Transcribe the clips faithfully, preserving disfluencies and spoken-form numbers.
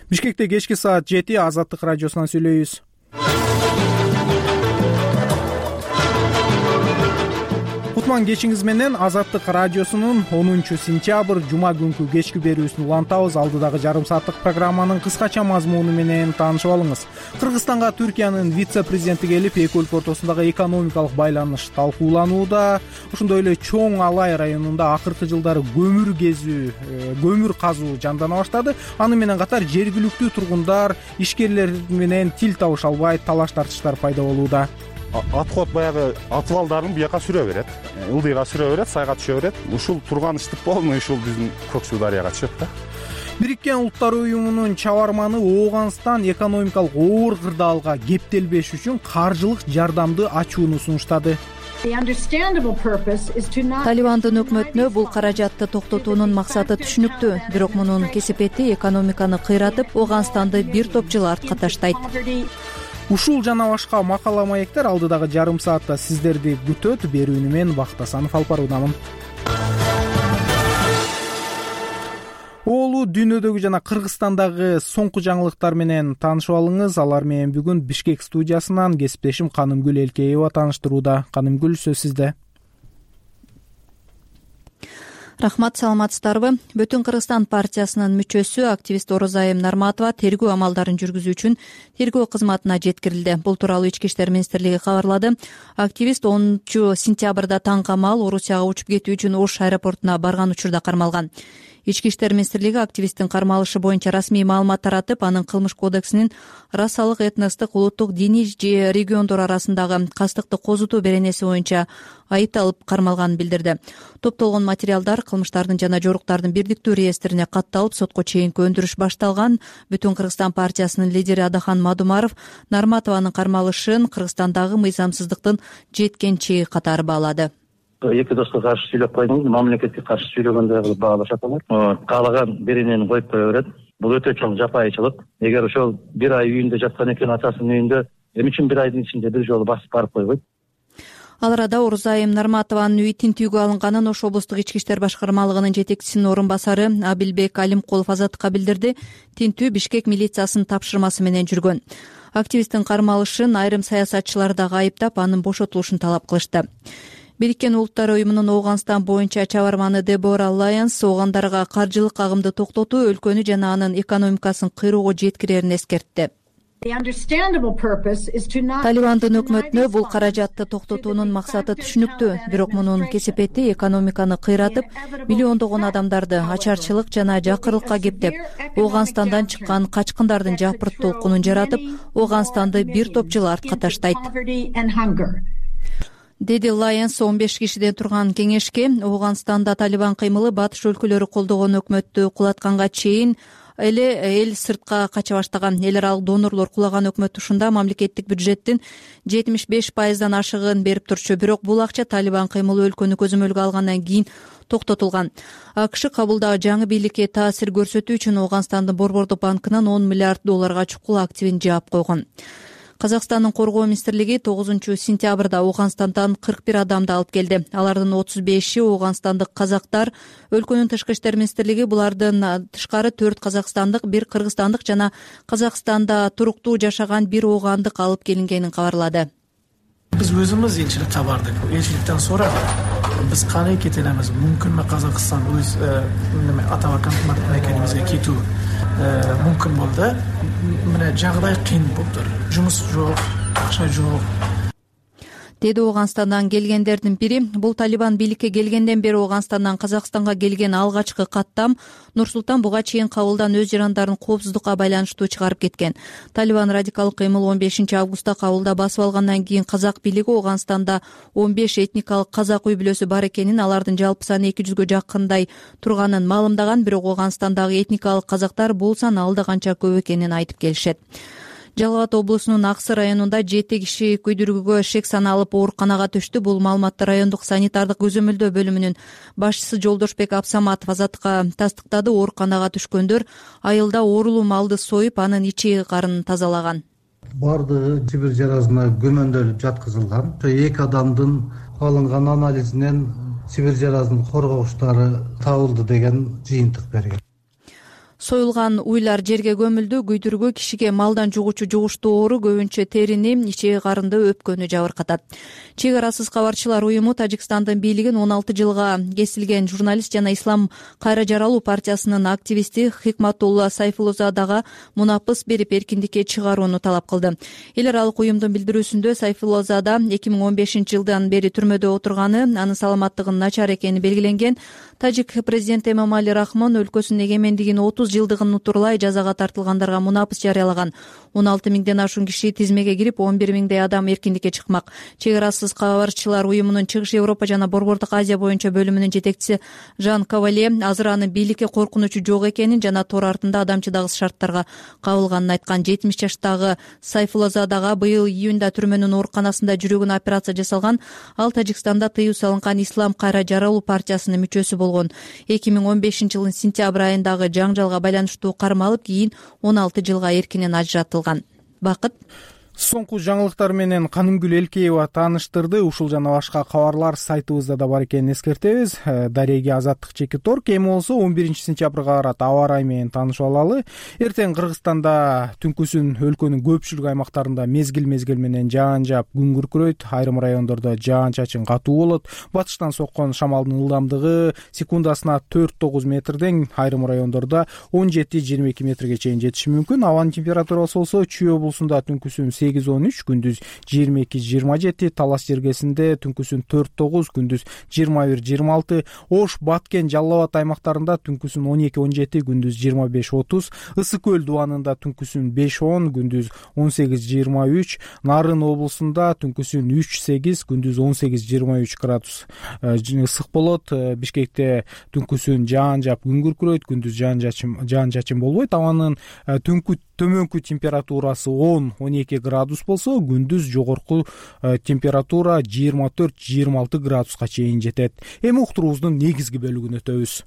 Бишкекте кечки саат жети Азаттык радиосунан сүйлөйбүз. Кутман кечиңиз менен Азаттык радиосунун онунчу сентябрь жума күнкү кечки берүүсүн улантабыз. Алдыдагы жарым сааттык программанын кыскача мазмуну менен таанышып алыңыз. Кыргызстанга Түркиянын вице-президенти келип, эки өлкө ортосундагы экономикалык байланыш талкууланууда. Ошондой эле Чоң Алай районунда акыркы жылдары көмүр кезүү, көмүр казуу жандана баштады. Аны менен катар жергиликтүү тургундар, ишкерлер менен тил табыша албай, талаш тартыштар пайда болууда. Отход баягы отвалдарын бияка сүрө берет, ылдыйга сүрө берет, сайга түшө берет. Ушул турган иштик полный ушул биздин Көк Суу дарыяга түшөт да. Бириккен Улуттар уюмунун чабарманы Ооганстан экономикалык оор кырдаалга кептелбеш үчүн каржылык жардамды ачууну сунуштады. Талибандын өкмөтүнө бул каражатты токтотуунун максаты түшүнүктүү, бирок мунун кесепети экономиканы кыйратып, Ооганстанды бир топ жыл артка таштайт. Ушул жана башка макала маектер алдыдагы жарым саатта сиздерди күтөт. Берүүнү мен Бактасанов алып баруудамын. Оолу дүйнөдөгү жана Кыргызстандагы соңку жаңылыктар менен таанышып алыңыз. Алар менен бүгүн Бишкек студиясынан кесиптешим Канымгүл Элкеева тааныштырууда. Канымгүл, сөз сизде. Рахмат, саламатсыздарбы? Бүтүн Кыргызстан партиясынын мүчөсү, активист Орозайым Нарматова тергөө амалдарын жүргүзүү үчүн тергөө кызматына жеткирилди. Бул тууралуу Ички иштер министрлиги кабарлады. Активист онунчу сентябрда таң камал Орусияга учуп кетүү үчүн Ош аэропортуна барган учурда кармалган. Ички иштер министрлиги активисттин кармалышы боюнча расмий маалымат таратып, анын кылмыш кодексинин расалык, этностук, улуттук, диний же региондор арасындагы кастыкты козутуу беренеси боюнча айыпталып кармалганын билдирди. Топтолгон материалдар кылмыштардын жана жоруктардын бирдиктүү реестрине катталып, сотко чейинки өндүрүш башталган. Бүтүн Кыргызстан партиясынын лидери Адахан Мадумаров Нарматованын кармалышын Кыргызстандагы мыйзамсыздыктын жеткен чеги катары баалады. Эки доска каршы сүйлөп койдум, мамлекетке каршы сүйлөгөндөй кылып баалашат алар. Каалаган беренени коюп кое берет. Бул өтө чоң жапайычылык. Эгер ошол бир ай үйүндө жаткан экен, атасынын үйүндө, эмне үчүн бир айдын ичинде бир жолу басып барып койбойт? Ал арада Орозайым Нарматованын үйү тинтүүгө алынганын Ош облустук ички иштер башкармалыгынын жетекчисинин орун басары Абилбек Алимкулов Азаттыкка билдирди. Тинтүү Бишкек милициясынын тапшырмасы менен жүргөн. Активисттин кармалышын айрым саясатчылар дагы айыптап, анын бошотулушун талап кылышты. Бириккен Улуттар уюмунун Ооганстан боюнча чабарманы Дебора Лайонс оогандарга каржылык агымды токтотуу өлкөнү жана анын экономикасын кыйроого жеткирерин эскертти. Талибандын өкмөтүнө бул каражатты токтотуунун максаты түшүнүктүү, бирок мунун кесепети экономиканы кыйратып, миллиондогон адамдарды ачарчылык жана жакырлыкка кептеп, Ооганстандан чыккан качкындардын жапырт толкунун жаратып, Ооганстанды бир топ жыл артка таштайт, деди Лайонс он беш кишиден турган кеңешке. Ооганстанда Талибан кыймылы батыш өлкөлөрү колдогон өкмөттү кулатканга чейин эле эл сыртка кача баштаган. Эл аралык донорлор кулаган өкмөт ушунда мамлекеттик бюджеттин жетимиш беш пайыздан ашыгын берип турчу. Бирок бул акча Талибан кыймылы өлкөнү көзөмөлгө алгандан кийин токтотулган. АКШ кабылдагы жаңы бийликке таасир көрсөтүү үчүн Ооганстандын Борбордук банкынан он миллиард долларга чукул активин жаап койгон. Казакстандын коргоо министрлиги тогузунчу сентябрда Ооганстандан кырк бир адамды алып келди. Алардын отуз беши ооганстандык казактар. Өлкөнүн тышкы иштер министрлиги булардын тышкары төрт казакстандык, бир кыргызстандык жана Казакстанда туруктуу жашаган бир оогандык алып келингенин кабарлады. Биз өзүбүз элчиликке бардык. Элчиликтен sonra биз кандай кетелебиз? Мүмкүнбү Казакстан өз атабакан мекенибизге кетүү мүмкүн болду. Мына жагдай кыйын болду. Жумуш жок, акча жок. Деди Ооганстандан келгендердин бири. Бул Талибан бийликке келгенден бери Ооганстандан Казакстанга келген алгачкы каттам. Нурсултан буга чейин кабылдан өз жарандарын коопсуздукка байланыштуу чыгарып кеткен. Талибан радикалдык кыймыл он бешинчи августта кабылда басып алгандан кийин казак бийлиги Ооганстанда он беш этникалык казак үй бүлөсү бар экенин, алардын жалпы саны эки жүзгө жакындай турганын маалымдаган. Бирок Ооганстандагы этникалык казактар бул сан алда канча көп экенин айтып келишет. Жалал Абад облусунун Аксы районунда жети киши күйдүрүүгө шек саналып ооруканага түштү. Бул маалыматты райондук санитардык көзөмөлдөө бөлүмүнүн башчысы Жолдошбек Абсаматов Азаттыкка тастыктады. Ооруканага түшкөндөр айылда оорулуу малды союп, анын ичи карын тазалаган. Бардыгы Сибир жарасына көмөндөлүп жаткызылган. Эки адамдын алынган анализинен Сибир жарасынын коргогучтары табылды деген жыйынтык берген. Союлган уйлар жерге көмүлдү. Күйдүргү кишиге малдан жугуучу жугуштуу оору көбүнчө терини, ичеги карынды өпкөнү жабыркатат. Чек арасыз кабарчылар уюму Тажикстандын бийлигин он алты жылга кесилген журналист жана Ислам кайра жаралуу партиясынын активисти Хикматулла Сайфуллозадага мунапыс берип эркиндикке чыгарууну талап кылды. Эл аралык уюмдун билдирүүсүндө Сайфуллозада эки миң он бешинчи жылдан бери түрмөдө отурганы, анын саламаттыгынын начар экени белгиленген. Тажик президенти Эмомали Рахмон өлкөсүнүн эгемендигинин отуз жылдыгын утурлай жазага тартылгандарга мунапыс жарыялаган. он алты миңден ашуун киши тизмеге кирип, он бир миңдей адам эркиндикке чыкмак. Чек арасыз кабарчылар уюмунун Чыгыш Европа жана Борбордук Азия боюнча бөлүмүнүн жетекчиси Жан Кавале азыр анын бийликке коркунучу жок экенин жана тор артында адамчыдагыс шарттарга кабылганын айткан. жетимиш жаштагы Сайфуллозадага быйыл июнда түрмөнүн ооруканасында жүрөгүнө операция жасалган. Ал Тажикстанда тыюу салынган Ислам кайра жаралуу партиясынын мүчөсү болгон. эки миң он бешинчи жылдын сентябрь айындагы жаңжалга байланыштуу кармалып, кийин он алты жылга эркинен ажыратылган. Бакыт. Соңку жаңылыктар менен Канымгүл Элкеева тааныштырды. Ушул жана башка кабарлар сайтыбызда да бар экенин эскертебиз. Дареги Азаттык Чекитор эми болсо он биринчи сентябрга карат аба ырайы менен таанышып алалы. Эртең Кыргызстанда түнкүсүн өлкөнүн көпчүлүк аймактарында мезгил-мезгил менен жаан жаап, күн күркүрөйт. Айрым райондордо жаан-чачын катуу болот. Батыштан соккон шамалдын ылдамдыгы секундасына төрт тогуз метрден, айрым райондордо он жети жыйырма эки метрге чейин жетиши мүмкүн. Абанын температурасы болсо Чүй облусунда түнкүсүн сегиз он үч, күндүз жыйырма эки жыйырма жети, Талас жергесинде түнкүсүн төрт тогуз, күндүз жыйырма бир жыйырма алты, Ош, Баткен, Жалал Абад аймактарында түнкүсүн он эки он жети, күндүз жыйырма беш отуз, Ысык көл дубанында түнкүсүн беш он, күндүз он сегиз жыйырма үч, Нарын облусунда түнкүсүн үч сегиз, күндүз он сегиз жыйырма үч градус ысык болот. Бишкекте түнкүсүн жаан жаап, күн күркүрөйт, күндүз жаан жачын жаан жачын болбойт. Абанын түнкү төмөнкү температурасы он он эки градус болсо, күндүз жогорку температура жыйырма төрт жыйырма алты градуска чейин жетет. Эми уктуруубуздун негизги бөлүгүнө өтөбүз.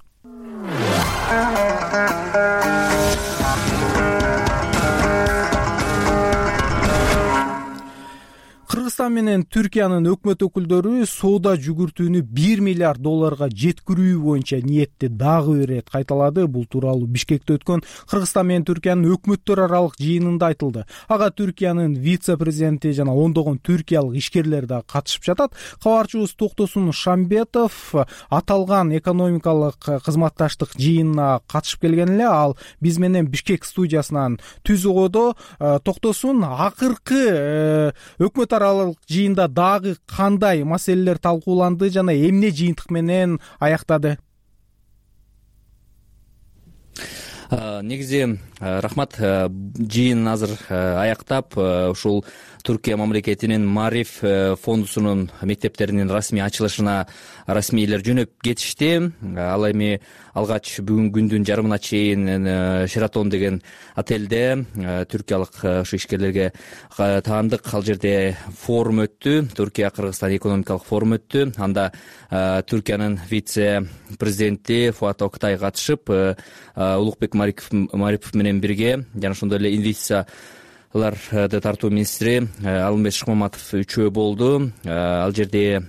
Кыргызстан менен Түркиянын өкмөт өкүлдөрү соода жүгүртүүнү бир миллиард долларга жеткирүү боюнча ниетти дагы бир ирет кайталады. Бул тууралуу Бишкекте өткөн Кыргызстан менен Түркиянын өкмөттөр аралык жыйынында айтылды. Ага Түркиянын вице-президенти жана ондогон түркиялык ишкерлер да катышып жатат. Кабарчыбыз Токтосун Шамбетов аталган экономикалык кызматташтык жыйынына катышып келген эле. Ал биз менен Бишкек студиясынан түз угодо. Токтосун, акыркы өкмөт аралык жыйында дагы кандай маселелер талкууланды жана эмне жыйынтык менен аяктады? Негизи рахмат, жыйын азыр аяктап, ушул Түркия мамлекетинин Мариф фондусунун мектептеринин расмий ачылышына расмийлер жөнөп кетишти. Ал эми алгач бүгүн күндүн жарымына чейин Шератон деген отелде түркиялык ушу ишкерлерге таандык. Ал жерде форум өттү, Түркия-Кыргызстан экономикалык форум өттү. Анда Түркиянын вице-президенти Фуат Октай катышып, Улукбек Марипов менен бирге жана ошондой эле инвестиция ларды тартуу министри Алымбек Шыкмаматов үчөө болду. Ал жерде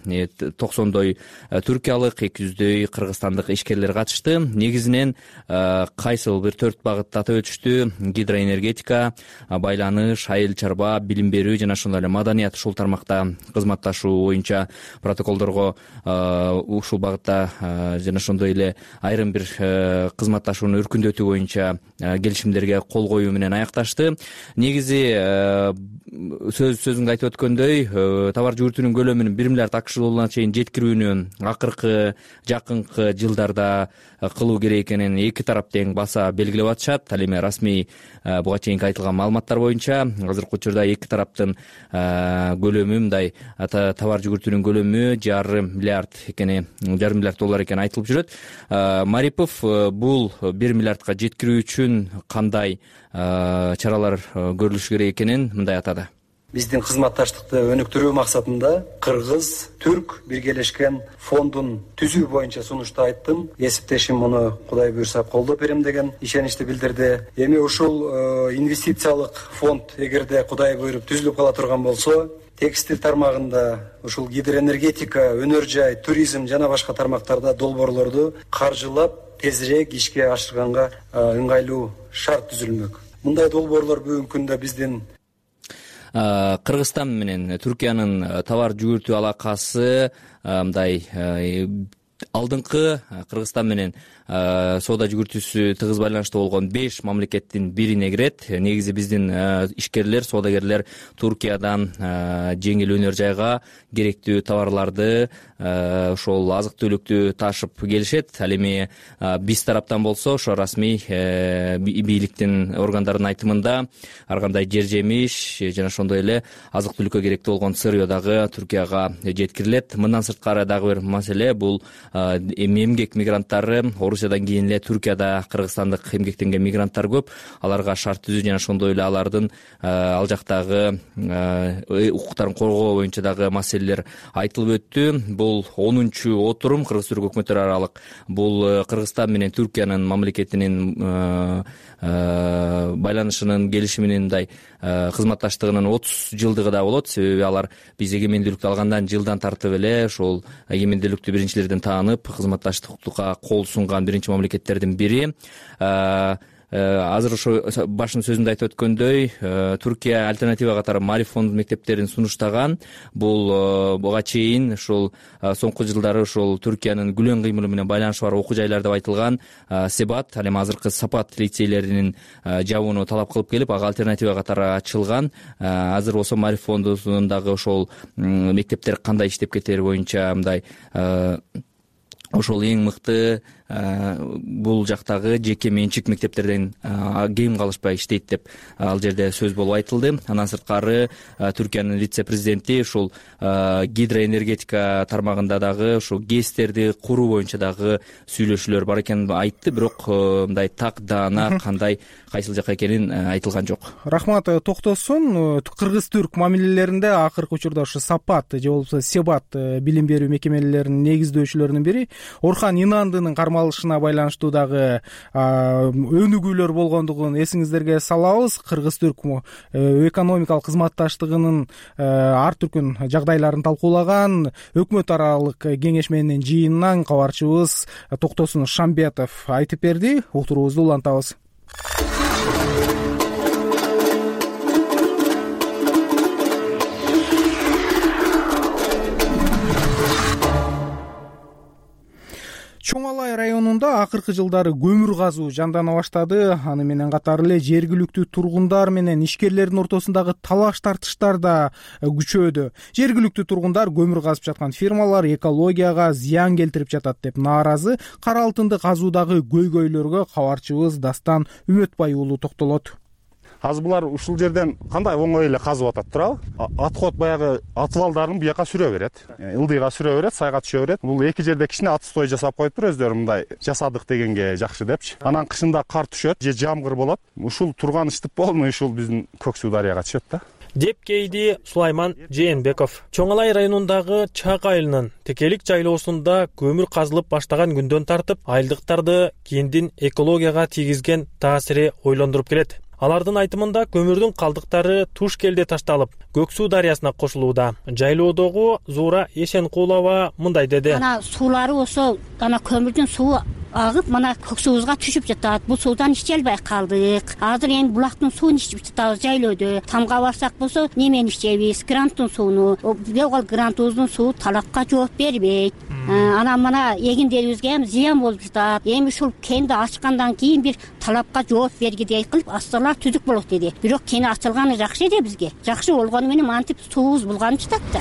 токсондой түркиялык, эки жүздөй кыргызстандык ишкерлер катышты. Негизинен кайсыл бир төрт багытта атап өтүштү: гидроэнергетика, байланыш, айыл чарба, билим берүү жана ошондой эле маданият. Ушул тармакта кызматташуу боюнча протоколдорго ушул багытта жана ошондой эле айрым бир кызматташууну өркүндөтүү боюнча келишимдерге кол коюу менен аякташты. Негизи сөз сөзүңдө айтып өткөндөй, товар жүгүртүүнүн көлөмүн бир миллиард акш долларына чейин жеткирүүнү акыркы жакынкы жылдарда кылуу керек экенин эки тарап тең баса белгилеп атышат. Ал эми расмий буга чейинки айтылган маалыматтар боюнча азыркы учурда эки тараптын көлөмү, мындай товар жүгүртүүнүн көлөмү жарым миллиард экени, жарым миллиард доллар экени айтылып жүрөт. Марипов бул бир миллиардка жеткирүү үчүн кандай чаралар көрүлүш керек экенин мындай атады. Биздин кызматташтыкты өнүктүрүү максатында Кыргыз-Түрк биргелешкен фондун түзүү боюнча сунушту айттым. Эсептешим муну Кудай буйрса колдоп берем деген ишеничти билдирди. Эми ушул инвестициялык фонд эгерде Кудай буйруп түзүлүп кала турган болсо, текстиль тармагында, ушул гидроэнергетика, өнөр жай, туризм жана башка тармактарда долбоорлорду каржылап тезирээк ишке ашырганга ыңгайлуу шарт түзүлмөк. Мындай долбоорлор бүгүнкү күндө биздин Кыргызстан менен Түркиянын товар жүгүртүү алакасы мындай алдыңкы Кыргызстан менен соода жүгүртүүсү тыгыз байланыштуу болгон беш мамлекеттин бирине кирет. Негизи биздин ишкерлер, соодагерлер Туркиядан жеңил өнөр жайга керектүү товарларды, ошол азык түлүктү ташып келишет. Ал эми биз тараптан болсо ошо расмий бийликтин органдарынын айтымында ар кандай жер жемиш жана ошондой эле азык түлүккө керектүү болгон сырье дагы Туркияга жеткирилет. Мындан сырткары дагы бир маселе бул эмгек мигранттары. Орусиядан кийин эле Туркияда кыргызстандык эмгектенген мигранттар көп. Аларга шарт түзүү жана ошондой эле алардын ал жактагы укуктарын коргоо боюнча дагы маселелер айтылып өттү. Бул онунчу отурум Кыргыз-Түрк өкмөттөр аралык. Бул Кыргызстан менен Түркиянын мамлекетинин байланышынын келишиминин мындай кызматташтыгынын отуз жылдыгы да болот. Себеби алар биз эгемендүүлүктү алгандан жылдан тартып эле ошол эгемендүүлүктү биринчилерден таанып кызматташтыкка кол сунган биринчи мамлекеттердин бири. Азыр ошо башын сөзүндө айтып өткөндөй, Түркия альтернатива катары Мариф фонду мектептерин сунуштаган. Бул буга чейин ошол соңку жылдары ошол Түркиянын күлөн кыймылы менен байланышы бар окуу жайлар деп айтылган Себат, ал эми азыркы Сапат лицейлеринин жабууну талап кылып келип, ага альтернатива катары ачылган. Азыр болсо Мариф фондундагы ошол мектептер кандай иштеп кетери боюнча мындай ошол эң мыкты бул жактагы жеке менчик мектептерден кем калышпай иштейт деп ал жерде сөз болуп айтылды. Андан сырткары Түркиянын вице-президенти ушул гидроэнергетика тармагында дагы ушул гэстерди куруу боюнча дагы сүйлөшүүлөр бар экенин айтты, бирок мындай так даана кандай кайсыл жака экенин айтылган жок. Рахмат. Токтосун, кыргыз-түрк мамилелеринде акыркы учурда ушу Сапат же болбосо Себат билим берүү мекемелеринин негиздөөчүлөрүнүн бири Орхан Инандынын кармалышына байланыштуу дагы өнүгүүлөр болгондугун эсиңиздерге салабыз. Кыргыз-түрк экономикалык кызматташтыгынын ар түркүн жагдайларын талкуулаган өкмөт аралык кеңешменин жыйынынан кабарчыбыз Токтосун Шамбетов айтып берди. Утуруубузду улантабыз. Чоң Алай районунда акыркы жылдары көмүр казуу жандана баштады. Аны менен катары эле жергиликтүү тургундар менен ишкерлердин ортосундагы талаш тартыштар да күчөдү. Жергиликтүү тургундар көмүр казып жаткан фирмалар экологияга зыян келтирип жатат деп нааразы. Кара алтынды казуудагы көйгөйлөргө кабарчыбыз Дастан Үмөтбай уулу токтолот. Азыр булар ушул жерден кандай оңой эле казып атат турабы? Отход баягы атыбалдарын буяка сүрө берет. Ылдыйга сүрө берет, сайга түшө берет. Бул эки жерде кичине отстой жасап коюптур өздөрү, мындай жасадык дегенге жакшы депчи. Анан кышында кар түшөт же жамгыр болот. Ушул турган иштеп болмой ушул биздин Көк Суу дарыяга түшөт да. деп кейди Сулайман Жээнбеков. Чоң Алай районундагы Чак айылынын Текелик жайлоосунда көмүр казылып баштаган күндөн тартып, айылдыктарды кийиндин экологияга тийгизген таасири ойлондуруп келет. Алардын айтымында көмүрдүн калдыктары туш келде ташталып, Көк Суу дарыясына кошулууда. Жайлоодогу Зуура Эшенкулова мындай деди. Ана суулары ошо ана көмүрдүн суу агып, мана Көк Суубузга түшүп жатат. Бул суудан иче албай калдык. Азыр эми булактын суун ичип жатабыз жайлоодо. Тамга барсак болсо, немени ичебиз? Гранттын сууну. Бирок ал грантыбыздын суу талапка жооп бербейт. Анан мана эгиндерибизге эми зыян болуп жатат. Эми ушул кенди ачкандан кийин бир талапка жооп бергидей кылып астарлар түзүк болот деди. Бирок кени ачылганы жакшы эди бизге. Жакшы болгону менен мантип суубуз булганып жатат да.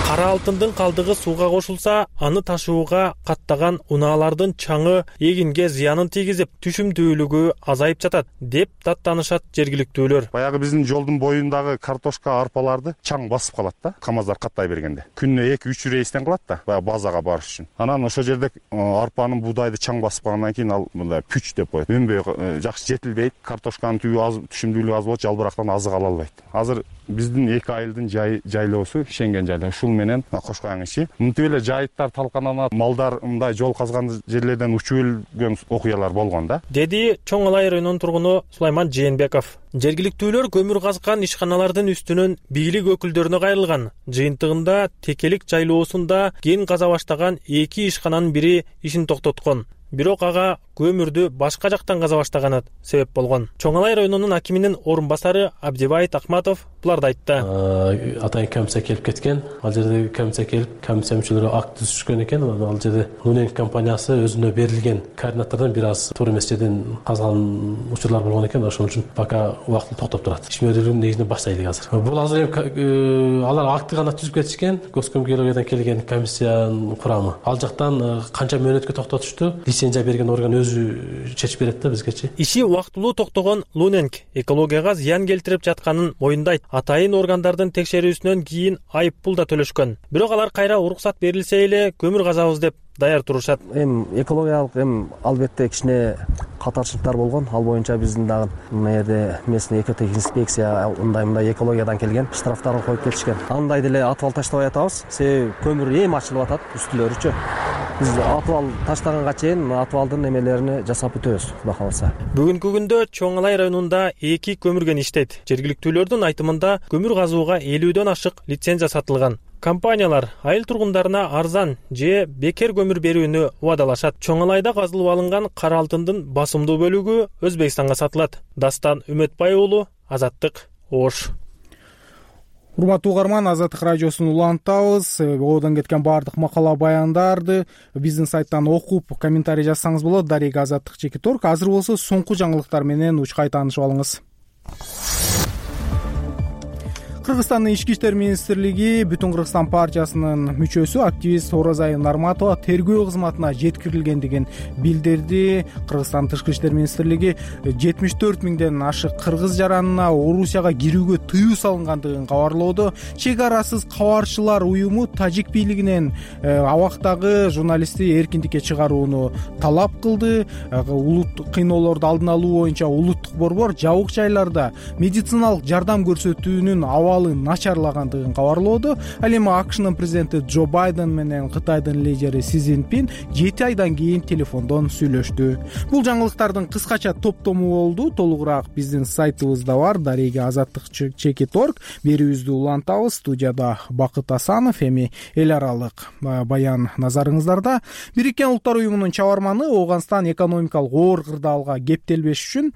Кара алтындын калдыгы сууга кошулса, аны ташууга каттаган унаалардын чаңы эгинге зыянын тийгизип, түшүмдүүлүгү азайып жатат деп даттанышат жергиликтүүлөр. Баягы биздин жолдун боюндагы картошка, арпаларды чаң басып калат да, камаздар каттай бергенде. Күнүнө эки үч рейстен кылат да, баягы базага барыш үчүн. Анан ошол жерде арпанын, буудайды чаң басып калгандан кийин ал мындай пүч деп коет. Өнбөй жакшы жетилбейт, картошканын түбү аз, түшүмдүүлүгү аз болот, жалбырактан азык ала албайт. Азыр биздин эки айылдын жайлоосу Шенген жайлоо, ушул менен Кошкоян ичи. Мынтип эле жайыттар талкананат, малдар мындай жол казган жерлерден учуп өлгөн окуялар болгон да, деди Чоң Алай районунун тургуну Сулайман Жээнбеков. Жергиликтүүлөр көмүр казган ишканалардын үстүнөн бийлик өкүлдөрүнө кайрылган. Жыйынтыгында Текелик жайлоосунда кен каза баштаган эки ишкананын бири ишин токтоткон. Бирок ага көмүрдү башка жактан каза баштаганы себеп болгон. Чоң Алай районунун акиминин орун басары Абдибайт Акматов буларды айтты. Атайын комиссия келип кеткен. Ал жерде комиссия келип, комиссия мүчөлөрү акт түзүшкөн экен. Ал жерде Луненг компаниясы өзүнө берилген координаттордон бир аз туура эмес жерден казган учурлар болгон экен. Ошон үчүн пока убактылуу токтоп турат. Ишмердүүлүгүн негизинен баштайлык азыр. Бул азыр эми алар акты гана түзүп кетишкен. Госкомгеологиядан келген комиссиянын курамы. Ал жактан канча мөөнөткө токтотушту? Лицензия берген орган өзү чечип берет да бизгечи. Иши убактылуу токтогон Луненг экологияга зыян келтирип жатканын моюндайт. Атайын органдардын текшерүүсүнөн кийин айып пул да төлөшкөн. Бирок алар кайра уруксат берилсе эле көмүр казабыз деп даяр турушат. Эми экологиялык эми албетте кичине катарчылыктар болгон. Ал боюнча биздин дагы мына жерде местный экотехинспекция мындай мындай экологиядан келген штрафтарын коюп кетишкен. Андай деле атыбал таштабай атабыз. Себеби көмүр эми ачылып атат үстүлөрүчү. Биз атыбал таштаганга чейин атыбалдын эмелеrini жасап бүтөбүз, Кудай кааласа. Бүгүнкү күндө Чоң Алай районунда эки көмүрген иштейт. Жергиликтүүлөрдүн айтымында көмүр казууга элүүдөн ашык лицензия сатылган. Компаниялар айыл тургундарына арзан же бекер көмүр берүүнү убадалашат. Чоң Алайда казылып алынган кара алтындын басымдуу бөлүгү Өзбекстанга сатылат. Дастан Үмөтбай уулу, Азаттык, Ош. Урматтуу угарман, Азаттык радиосун улантабыз. Одон кеткен баардык макала баяндарды биздин сайттан окуп, комментарий жазсаңыз болот. Дарега Азаттык чекит орг. Азыр болсо соңку жаңылыктар менен учкай таанышып алыңыз. Кыргызстандын ички иштер министрлиги Бүтүн Кыргызстан партиясынын мүчөсү активист Оразайым Нарматова тергөө кызматына жеткирилгендигин билдирди. Кыргызстан тышкы иштер министрлиги жетимиш төрт миңден ашык кыргыз жаранына Орусияга кирүүгө тыюу салынгандыгын кабарлоодо. Чек арасыз кабарчылар уюму тажик бийлигинен абактагы журналистти эркиндикке чыгарууну талап кылды. Улут кыйноолорду алдын алуу боюнча улуттук борбор жабык жайларда медициналык жардам көрсөтүүнүн абалы начарлагандыгын кабарлоодо. Ал эми АКШнын президенти Джо Байден менен Кытайдын лидери Си Цзиньпин жети айдан кийин телефондон сүйлөштү. Бул жаңылыктардын кыскача топтому болду. Толугураак биздин сайтыбызда бар, Дарега Азаттык чекит орг. Берүүбүздү улантабыз. Студияда Бакыт Асанов, эми эл аралык баян назарыңыздарда. Бириккен Улуттар уюмунун чабарманы Ооганстан экономикалык оор кырдаалга кептелбеш үчүн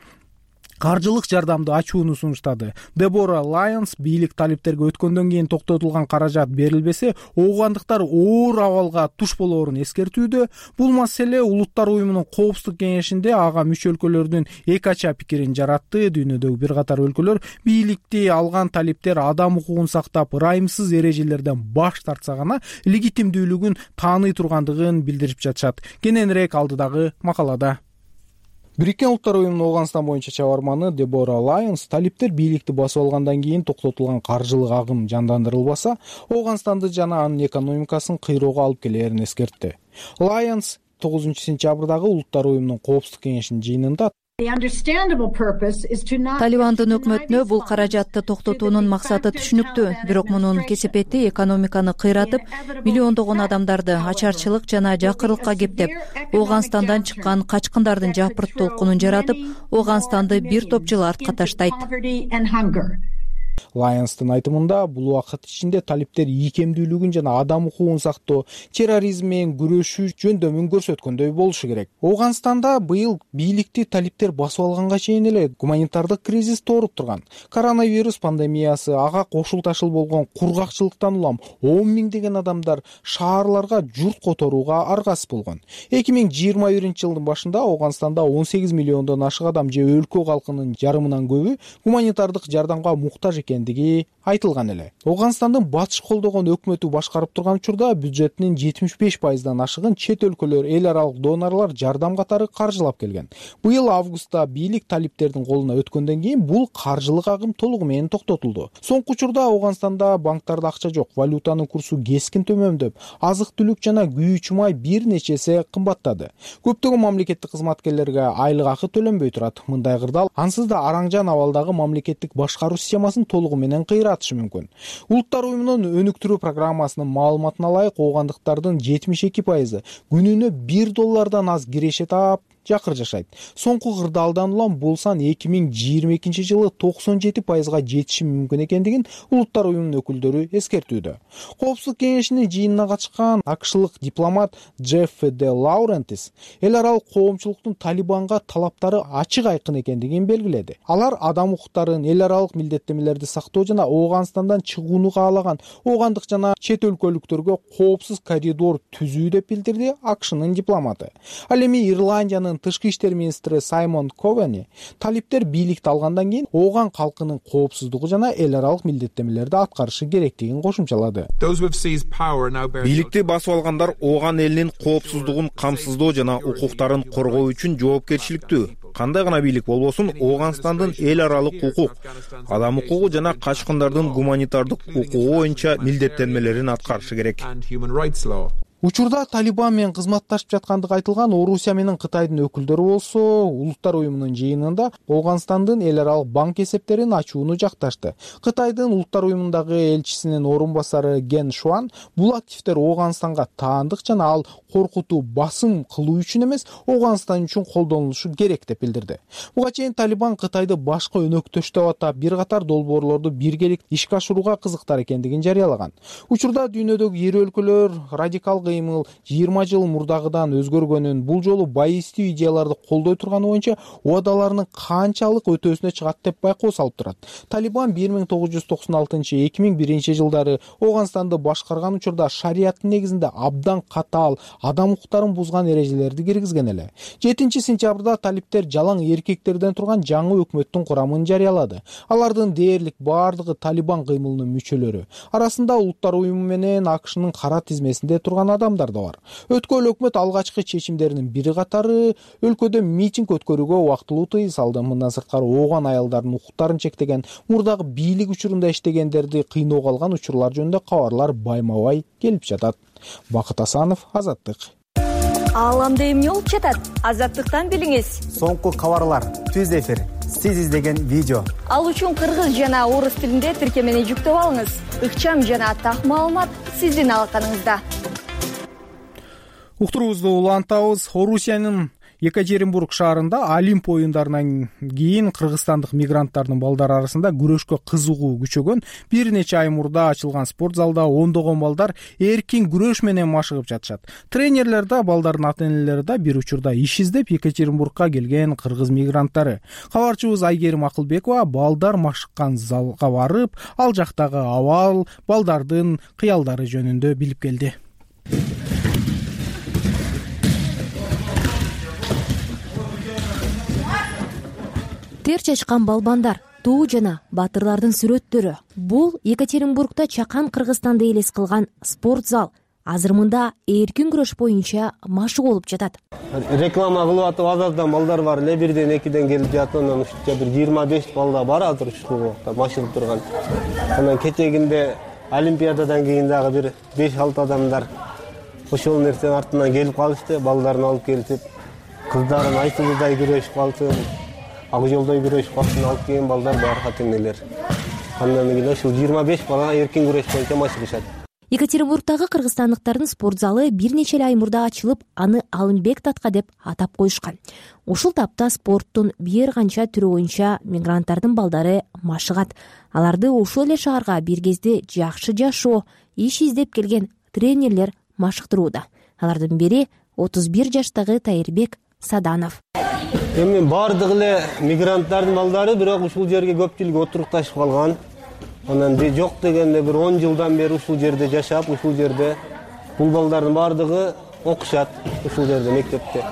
каржылык жардамды ачууну сунуштады. Дебора Лайонс бийлик талиптерге өткөндөн кийин токтотулган каражат берилбесе, оогандыктар оор абалга туш болоорун эскертүүдө. Бул маселе Улуттар уюмунун коопсуздук кеңешинде ага мүчө өлкөлөрдүн эки ача пикирин жаратты. Дүйнөдөгү бир катар өлкөлөр бийликти алган талиптер адам укугун сактап, ырайымсыз эрежелерден баш тартса гана легитимдүүлүгүн тааный тургандыгын билдирип жатышат. Кененирээк алдыдагы макалада. Бириккен Улуттар уюмунун Ооганстан боюнча чабарманы Дебора Лайонс талиптер бийликти басып алгандан кийин токтотулган каржылык агым жандандырылбаса, Ооганстанды жана анын экономикасын кыйроого алып келерин эскертти. Лайонс тогузунчу сентябрдагы Улуттар уюмунун коопсуздук кеңешинин жыйынында Талибандын өкмөтүнө бул каражатты токтотуунун максаты түшүнүктүү, бирок мунун кесепети экономиканы кыйратып, миллиондогон адамдарды ачарчылык жана жакырлыкка кептеп, Ооганстандан чыккан качкындардын жапырт толкунун жаратып, Ооганстанды бир топ жыл артка таштайт. Лайонстын айтымында бул убакыт ичинде талиптер ийкемдүүлүгүн жана адам укугун сактоо, терроризм менен күрөшүү жөндөмүн көрсөткөндөй болушу керек. Ооганстанда быйыл бийликти талиптер басып алганга чейин эле гуманитардык кризис тооруп турган. Коронавирус пандемиясы, ага кошулташыл болгон кургакчылыктан улам он миңдеген адамдар шаарларга журт которууга аргасыз болгон. эки миң жыйырма биринчи жылдын башында Ооганстанда он сегиз миллиондон ашык адам же өлкө калкынын жарымынан көбү гуманитардык жардамга муктаж экендиги айтылган эле. Ооганстандын батыш колдогон өкмөтү башкарып турган учурда бюджетинин жетимиш беш пайыздан ашыгын чет өлкөлөр, эл аралык донорлор жардам катары каржылап келген. Быйыл августта бийлик талиптердин колуна өткөндөн кийин бул каржылык агым толугу менен токтотулду. Соңку учурда Ооганстанда банктарда акча жок, валютанын курсу кескин төмөндөп, азык-түлүк жана күйүүчү май бир нече эсе кымбаттады. Көптөгөн мамлекеттик кызматкерлерге айлык акы төлөнбөй турат. Мындай кырдаал ансыз да араңжан абалдагы мамлекеттик башкаруу системасын толугу менен кыйратышы мүмкүн. Улуттар уюмунун өнүктүрүү программасынын маалыматына ылайык оогандыктардын жетимиш эки пайызы күнүнө бир доллардан аз киреше таап жакыр жашайт. Соңку кырдаалдан улам бул сан эки миң жыйырма экинчи жылы токсон жети пайызга жетиши мүмкүн экендигин улуттар уюмунун өкүлдөрү эскертүүдө. Коопсуздук кеңешинин жыйынына катышкан акшлык дипломат Джефф де Лаурентис эл аралык коомчулуктун Талибанга талаптары ачык айкын экендигин белгиледи. Алар адам укуктарын, эл аралык милдеттенмелерди сактоо жана Ооганстандан чыгууну каалаган оогандык жана чет өлкөлүктөргө коопсуз коридор түзүү деп билдирди акшнын дипломаты. Ал эми Ирландиянын тышкы иштер министри Саймон Ковени талиптер бийликти алгандан кийин ооган калкынын коопсуздугу жана эл аралык милдеттенмелерди аткарышы керектигин кошумчалады. Бийликти басып алгандар ооган элинин коопсуздугун камсыздоо жана укуктарын коргоо үчүн жоопкерчиликтүү. Кандай гана бийлик болбосун, Ооганстандын эл аралык укук, адам укугу жана качкындардын гуманитардык укугу боюнча милдеттенмелерин аткарышы керек. Учурда Талибан менен кызматташып жаткандыгы айтылган Орусия менен Кытайдын өкүлдөрү болсо, улуттар уюмунун жыйынында Ооганстандын эл аралык банк эсептерин ачууну жакташты. Кытайдын улуттар уюмундагы элчисинин орун басары Ген Шуан бул активдер Ооганстанга таандык жана ал коркутуу, басым кылуу үчүн эмес, Ооганстан үчүн колдонулушу керек деп билдирди. Буга чейин Талибан Кытайды башкы өнөктөш деп атап, бир катар долбоорлорду биргеликте ишке ашырууга кызыктар экендигин жарыялаган. Учурда дүйнөдөгү эри өлкөлөр радикал кыймыл жыйырма жыл мурдагыдан өзгөргөнүн, бул жолу байыстуу идеяларды колдой турганы боюнча убадаларынын канчалык өтөөсүнө чыгат деп байкоо салып турат. Талибан бир миң тогуз жүз токсон алтынчы эки миң биринчи жылдары Ооганстанды башкарган учурда шариаттын негизинде абдан катаал адам укуктарын бузган эрежелерди киргизген эле. жетинчи сентябрда талиптер жалаң эркектерден турган жаңы өкмөттүн курамын жарыялады. Алардын дээрлик бардыгы Талибан кыймылынын мүчөлөрү. Арасында улуттар уюму менен акшнын кара тизмесинде турган адамдар да бар. Өткөн өкмөт алгачкы чечимдеринин бири катары өлкөдө митинг өткөрүүгө убактылуу тыюу салды. Мындан сырткары ооган аялдардын укуктарын чектеген, мурдагы бийлик учурунда иштегендерди кыйноого алган учурлар жөнүндө кабарлар байма-бай келип жатат. Бакыт Асанов, Азаттык. Ааламда эмне болуп жатат? Азаттыктан билиңиз. Соңку кабарлар, түз эфир, сиз издеген видео. Ал үчүн кыргыз жана орус тилинде тиркемени жүктөп алыңыз. Ыкчам жана так маалымат сиздин алаканыңызда. Уктуруубузду улантабыз. Орусиянын Екатеринбург шаарында Олимп оюндарынан кийин кыргызстандык мигранттардын балдары арасында күрөшкө кызыгуу күчөгөн бир нече ай мурда ачылган спорт залда ондогон балдар эркин күрөш менен машыгып жатышат. Тренерлер да, балдардын ата-энелери да бир учурда иш издеп Екатеринбургка келген кыргыз мигранттары. Кабарчыбыз Айгерим Акылбекова балдар машыккан залга барып, ал жактагы абал, балдардын кыялдары жөнүндө билип келди. Тер чачкан балбандар, туу жана баатырлардын сүрөттөрү. Бул Екатеринбургда чакан Кыргызстанды элес кылган спорт зал. Азыр мында эркин күрөш боюнча машык болуп жатат. Реклама кылып атып азаздан балдар бар эле, бирден экиден келип жатат. Анан ушунча бир жыйырма беш балда бар азыр ушул убакта машыгып турган. Анан кечегинде Олимпиададан кийин дагы бир беш алты адамдар ошол нерсенин артынан келип калышты, балдарын алып келип, кыздарын айсылуудай күрөшүп калсын, ак жолдой күрөшүп калсын алып келген балдар бар, ата-энелер. Андан кийин ушул жыйырма беш бала эркин күрөш боюнча машыгышат. Екатеринбургдагы кыргызстандыктардын спорт залы бир нече ай мурда ачылып, аны Алымбек татка деп атап коюшкан. Ушул тапта спорттун бир канча түрү боюнча мигранттардын балдары машыгат. Аларды ошол эле шаарга бир кезде жакшы жашоо, иш издеп келген тренерлер машыктырууда. Алардын бири отуз бир жаштагы Тайырбек Саданов. Эми бардык эле мигранттардын балдары, бирок ушул жерге көпчүлүгү отурукташып калган. Анан жок дегенде бир он жылдан бери ушул жерде жашап, ушул жерде бул балдардын бардыгы окушат ушул жерде мектепте.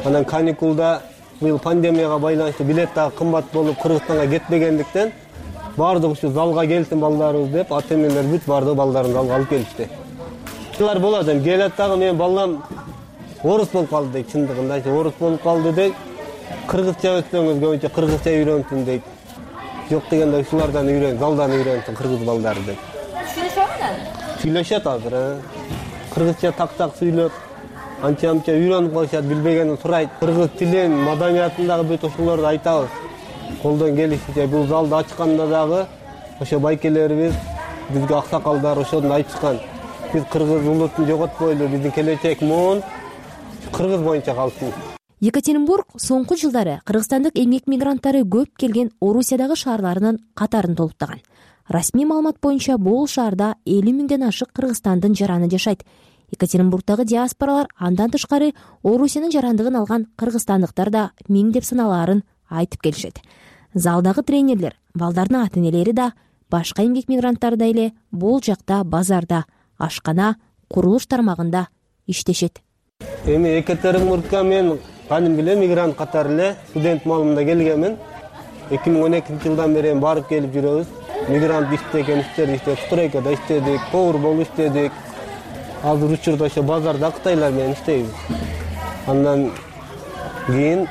Анан каникулда быйыл пандемияга байланыштуу билет дагы кымбат болуп Кыргызстанга кетпегендиктен бардык ушул залга келсин балдарыбыз деп ата-энелер бүт бардык балдарын залга алып келишти. Булар болот, эми келет дагы менин балам орус болуп калды дейт, чындыгында орус болуп калды дейт. Кыргызча өтсөңүз көбүнчө кыргызча үйрөнсүн дейт. Жок дегенде ушулардан үйрөн, залдан үйрөнсүн кыргыз балдары деп. Түшүнүшөбү? Сүйлөшөт азыр. Кыргызча так-так сүйлөп, анча-мынча үйрөнүп калышат, билбегенин сурайт. Кыргыз тилин, маданиятын дагы бүт ошолорду айтабыз. Колдон келишинче бул залды ачканда дагы ошо байкелерибиз бизге аксакалдар ошону айтышкан. Биз кыргыз улутун жоготпойлу, биздин келечек муун кыргыз боюнча калсын. Екатеринбург соңку жылдары кыргызстандык эмгек мигранттары көп келген Орусиядагы шаарларынын катарын толуктаган. Расмий маалымат боюнча бул шаарда элүү миңден ашык Кыргызстандын жараны жашайт. Екатеринбургдагы диаспоралар андан тышкары Орусиянын жарандыгын алган кыргызстандыктар да миң деп саналаарын айтып келишет. Залдагы тренерлер, балдардын ата-энелери да, башка эмгек мигранттар да эле бул жакта базарда, ашкана, курулуш тармагында иштешет. Эми Екатеринбургга мен кадимки эле мигрант катары эле студент маалында келгенмин. эки миң он экинчи жылдан бери барып келип жүрөбүз. Мигрант иштеген иштерди иштеп, стройкада иштедик, повар болуп иштедик. Азыр учурда ошо базарда кытайлар менен иштейбиз. Андан кийин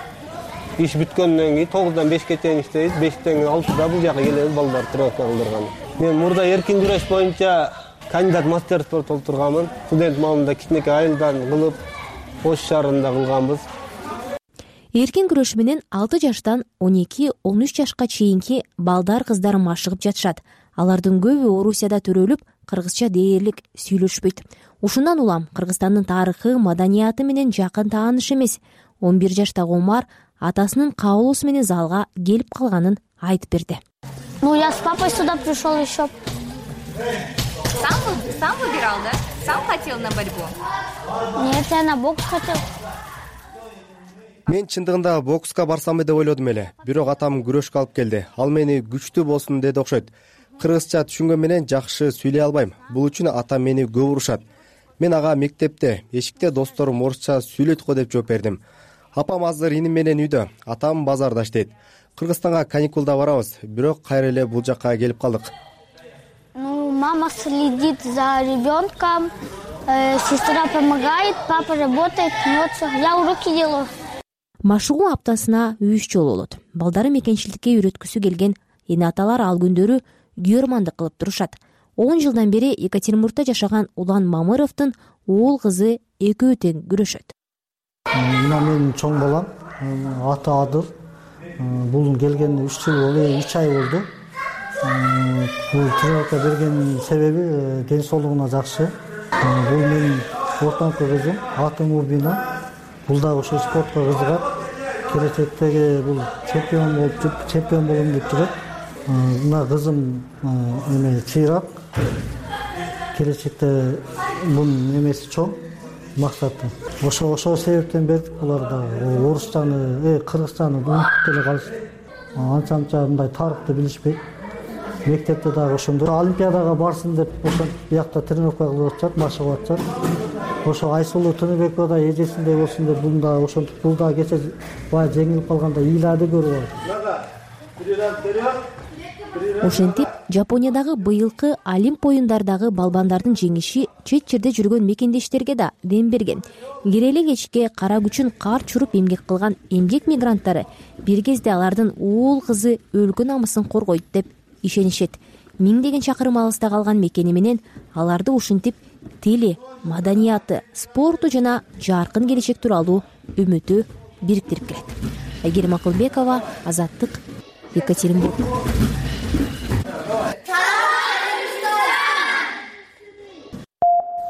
иш бүткөндөн кийин тогуздан бешке чейин иштейбиз. бештен алтыда бул жака келебиз, балдар тройка кылдырган. Мен мурда эркин күрөш боюнча кандидат мастер спорт болуп турганмын. Студент маалында кичинекей айылдан кылып, Ош шаарында кылганбыз. Эркин күрөш менен алты жаштан он эки он үч жашка чейинки балдар кыздар машыгып жатышат. Алардын көбү Орусияда төрөлүп, кыргызча дээрлик сүйлөшпөйт. Ушундан улам Кыргызстандын тарыхы, маданияты менен жакын тааныш эмес. он бир жаштагы Омар атасынын кабылуусу менен залга келип калганын айтып берди. Ну, я с папой сюда пришел еще. Сам, сам выбирал, да? Сам хотел на борьбу? Нет, я на бокс хотел. Мен чындыгында бокска барсам деп ойлодум эле. Бирок атам күрөшкө алып келди. Ал мени күчтүү болсун деди окшойт. Кыргызча түшүнгөн менен жакшы сүйлөй албайм. Бул үчүн атам мени көп урушат. Мен ага мектепте, эшикте досторум орусча сүйлөйт го деп жооп бердим. Апам азыр иним менен үйдө, атам базарда иштейт. Кыргызстанга каникулда барабыз, бирок кайра эле бул жакка келип калдык. Ну, мама следит за ребенком, э, сестра помогает, папа работает, вот всё. Я уроки делаю. Машыгуу аптасына үч жолу болот. Балдары мекенчиликке үйрөткүсү келген эне аталар ал күндөрү күйөрмандык кылып турушат. он жылдан бери Екатеринбургда жашаган Улан Мамыровдун уул кызы экөө тең күрөшөт. Мына менин чоң балам, аты Адыр. Бул келгенине үч жыл болду, үч ай болду. Бул тренировка берген себеби ден соолугуна жакшы. Бул менин ортоңку кызым, аты Мубина. Бул да ошо спортко кызыгат. Келечектеги бул чемпион болуп, чемпион болом деп жүрөт. Мына кызым эме чыйрак. Келечекте бунун эмеси чоң, максаты. Ошо ошо себептен бердик буларда орустаны, э кыргызстанды унутуп деле калышты. Анча-анча мындай тарыхты билишпейт. Мектепте дагы ошондой олимпиадага барсын деп ошо биякта тренировка кылып атышат, машыгып атышат. Ошо Айсулуу Тыныбекова да эжесиндей болсун деп бул да ошентип бул да кече бая жеңилип калганда ыйлады көрүп алат. Ошентип, Жапониядагы быйылкы Олимп оюндардагы балбандардын жеңиши чет жерде жүргөн мекендештерге да дем берген. Киреле кечке кара күчүн кар чуруп эмгек кылган эмгек мигранттары бир кезде алардын уул кызы өлкө намысын коргойт деп ишенишет. Миңдеген чакырым алыста калган мекени менен аларды ушинтип тили, маданияты, спорту жана жаркын келечек тууралуу үмүтү бириктирип келет. Айгерим Акылбекова, Азаттык, Екатеринбург.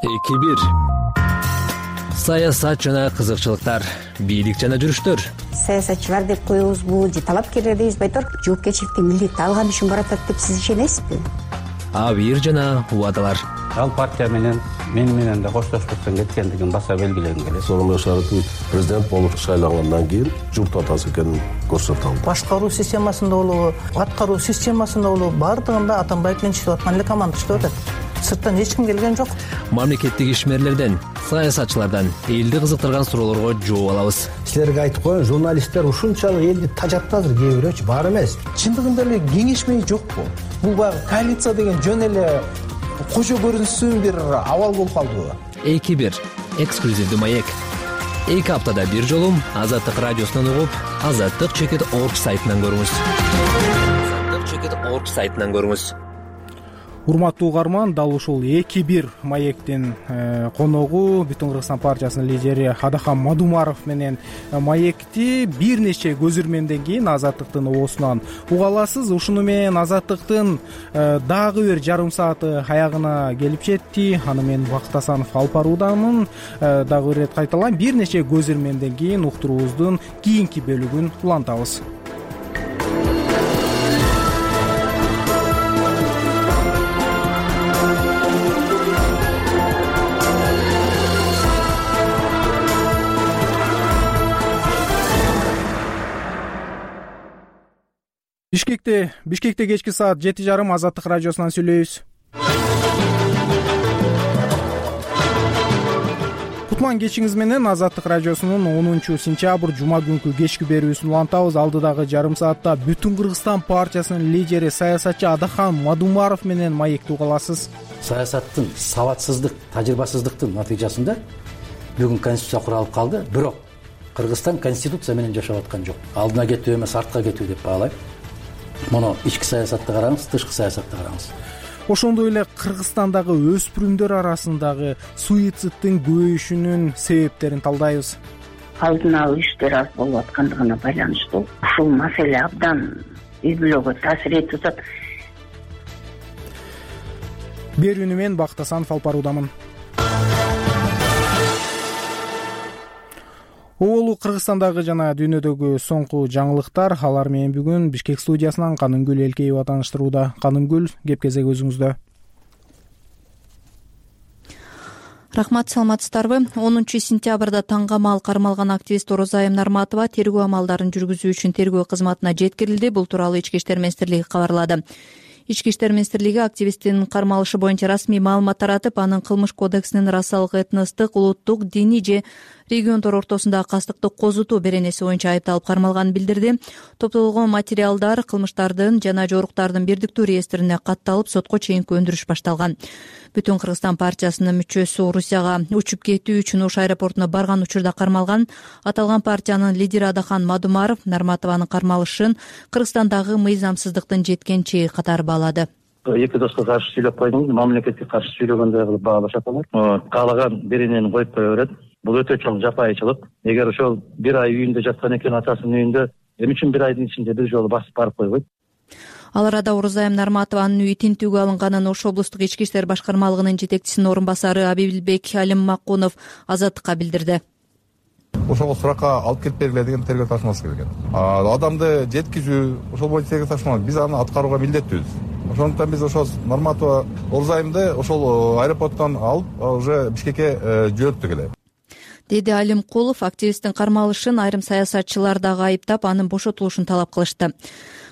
эки бир саясат жана кызыкчылыктар, бийлик жана жүрүштөр. Саясатчылар деп коебузбу же талапкерлер дейбизби айтор? Жоопкерчиликтин милдетти алган үчүн баратат деп сиз ишенесизби? Абийир жана убадалар. Ал партия менен мени менен да коштошпостон кеткендигин баса белгилегим келет. Сооронбай Шарипович президент болуп шайлангандан кийин журт атасы экенин көрсөтө алды. Башкаруу системасында болобу, аткаруу системасында болобу, бардыгында Атамбаев менен иштеп аткан эле команда иштеп атат. Сырттан эч ким келген жок. Мамлекеттик ишмерлерден, саясатчылардан элди кызыктырган суроолорго жооп алабыз. Силерге айтып коеюн, журналисттер ушунчалык элди тажатты азыр кээ бирөөчү, бар эмес. Чындыгында эле кеңешмей жокпу? Бул баягы коалиция деген жөн эле кожо көрүнсүн бир абал болуп калдыбы? эки бир эксклюзивдүү маек. эки аптада бир жолу Азаттык радиосунан угуп, азаттык чекит орг сайтынан көрүңүз. азаттык чекит орг сайтынан көрүңүз. урматтуу угарман, дал ушул эки бир маектин коногу Бүтүн Кыргызстан партиясынын лидери Адахан Мадумаров менен маекти бир нече көзүрмөмдөн кийин Азаттыктын оосунан уга аласыз. Ушуну менен Азаттыктын дагы бир жарым сааты аягына келип жетти. Аны мен Бакыт Асанов алып баруудамын. Дагы бир ирет кайталайм, бир нече көзүрмөмдөн кийин уктуруубуздун кийинки бөлүгүн улантабыз. Бишкекте Бишкекте кечки саат жети жарым Азаттык радиосунан сүйлөйбүз. Кутман кечиңиз менен Азаттык радиосунун онунчу сентябрь жума күнкү кечки берүүсүн улантабыз. Алдыдагы жарым саатта Бүтүн Кыргызстан партиясынын лидери саясатчы Адахан Мадумаров менен маекти уга аласыз. Саясаттын сабатсыздык, тажрыйбасыздыктын натыйжасында бүгүн конституция куралып калды. Бирок Кыргызстан конституция менен жашап аткан жок. Алдына кетүү эмес, артка кетүү деп баалайм. Муну ички саясатты караңыз, тышкы саясатты караңыз. Ошондой эле Кыргызстандагы өспүрүмдөр арасындагы суицидтин көбөйүшүнүн себептерин талдайбыз. Алдын алуу иштери аз болуп аткандыгына байланыштуу ушул маселе абдан үй бүлөгө таасир этип атат. Берүүнү мен Бакыт Асанов алып баруудамын. Оолу Кыргызстандагы жана дүйнөдөгү соңку жаңылыктар, алар менен бүгүн Бишкек студиясынан Канымгүл Элкеева тааныштырууда. Канымгүл, кеп кезек өзүңүздө. Рахмат, саламатсыздарбы? онунчу сентябрда таңга маал кармалган активист Орозайым Нарматова тергөө амалдарын жүргүзүү үчүн тергөө кызматына жеткирилди. Бул тууралуу Ички иштер министрлиги кабарлады. Ички иштер министрлиги активисттин кармалышы боюнча расмий маалымат таратып, анын кылмыш кодексинин расалык, этностук, улуттук, диний же региондор ортосундагы кастыкты козутуу беренеси боюнча айыпталып кармалганын билдирди. Топтолгон материалдар кылмыштардын жана жоруктардын бирдиктүү реестрине катталып, сотко чейинки өндүрүш башталган. Бүтүн Кыргызстан партиясынын мүчөсү Орусияга учуп кетүү үчүн Ош аэропортуна барган учурда кармалган. Аталган партиянын лидери Адахан Мадумаров Нарматованын кармалышын Кыргызстандагы мыйзамсыздыктын жеткен чеги катары баалады. Эки доско каршы сүйлөп койдуңуз, мамлекетке каршы сүйлөгөндөй кылып баалашат алар. Каалаган беренени коюп кое берет. Бул өтө чоң жапайычылык. Эгер ошол бир ай үйүндө жаткан экен, атасынын үйүндө, эмне үчүн бир айдын ичинде бир жолу басып барып койбойт? Ал арада Орозайым Нарматованын үйү тинтүүгө алынганын Ош облустук ички иштер башкармалыгынын жетекчисинин орун басары Абилбек Алиммакунов Азаттыкка билдирди. Ошого суракка алып келип бергиле деген тергөө тапшырмасы келген. Адамды жеткизүү, ошол боюнча тергөө тапшырмасы, биз аны аткарууга милдеттүүбүз. Ошондуктан биз ошол Нарматова Орозайымды ошол аэропорттон алып уже Бишкекке жөнөттүк эле. Деди Алимкулов активисттин кармалышын айрым саясатчылар дагы айыптап, анын бошотулушун талап кылышты.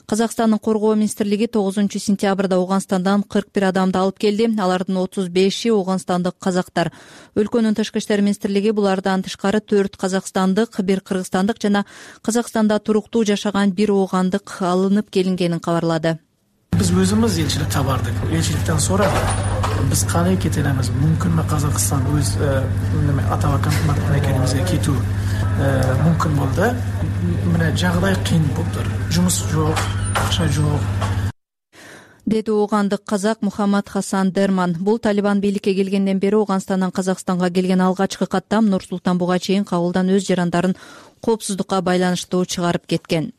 Казакстандын коргоо министрлиги тогузунчу сентябрда Ооганстандан кырк бир адамды алып келди. Алардын отуз беши ооганстандык казактар. Өлкөнүн тышкы иштер министрлиги булардан тышкары төрт казакстандык, бир кыргызстандык жана Казакстанда туруктуу жашаган бир оогандык алынып келингенин кабарлады. Биз өзүбүз элчиликке бардык. Элчиликтен сурадык. Биз кандай кете алабыз? Мүмкүнбү Казакстан өз атабакан мамлекетибизге кетүү мүмкүн болду. Мына жагдай кыйын болуптур. Жумуш жок, акча жок. Деди оогандык казак Мухаммад Хасан Дерман. Бул Талибан бийликке келгенден бери Ооганстандан Казакстанга келген алгачкы каттам Нур-Султан буга чейин кабылдан өз жарандарын коопсуздукка байланыштуу чыгарып кеткен.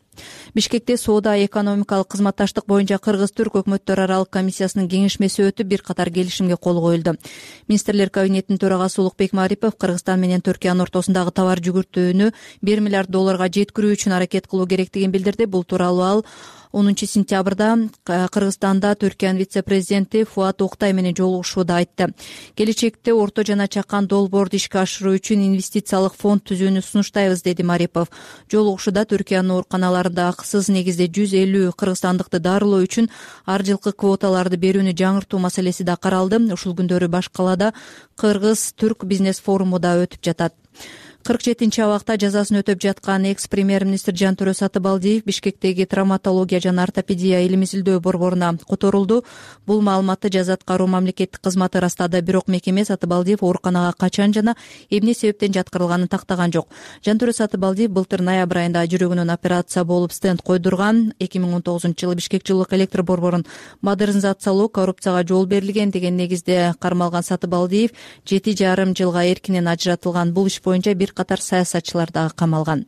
Бишкекте соода экономикалык кызматташтык боюнча Кыргыз-Түрк өкмөттөр аралык комиссиясынын кеңешмеси өтүп, бир катар келишимге кол коюлду. Министрлер кабинетинин төрагасы Улукбек Марипов Кыргызстан менен Түркиянын ортосундагы товар жүгүртүүнү бир миллиард долларга жеткирүү үчүн аракет кылуу керектигин билдирди. Бул тууралуу ал онунчу сентябрда Кыргызстанда Түркиянын вице-президенти Фуат Октай менен жолугушууда айтты. Келечекте орто жана чакан долбоорду ишке ашыруу үчүн инвестициялык фонд түзүүнү сунуштайбыз, деди Марипов. Жолугушууда Түркиянын ооруканаларында акысыз негизде жүз элүү кыргызстандыкты дарылоо үчүн ар жылкы квоталарды берүүнү жаңыртуу маселеси да каралды. Ушул күндөрү баш калаада Кыргыз-Түрк бизнес форуму да өтүп жатат. кырк жетинчи абакта жазасын өтөп жаткан экс премьер министр Жантөрө Сатыбалдиев Бишкектеги травматология жана ортопедия илим изилдөө борборуна которулду. Бул маалыматты жаза аткаруу мамлекеттик кызматы ырастады, бирок мекеме Сатыбалдиев ооруканага качан жана эмне себептен жаткырылганын тактаган жок. Жантөрө Сатыбалдиев былтыр ноябрь айында жүрөгүнөн операция болуп стенд койдурган. эки миң он тогузунчу жылы Бишкек жылуулук электр борборун модернизациялоо коррупцияга жол берилген деген негизде кармалган Сатыбалдиев жети жарым жылга эркинен ажыратылган. Бул иш боюнча бир катар саясатчылар дагы камалган.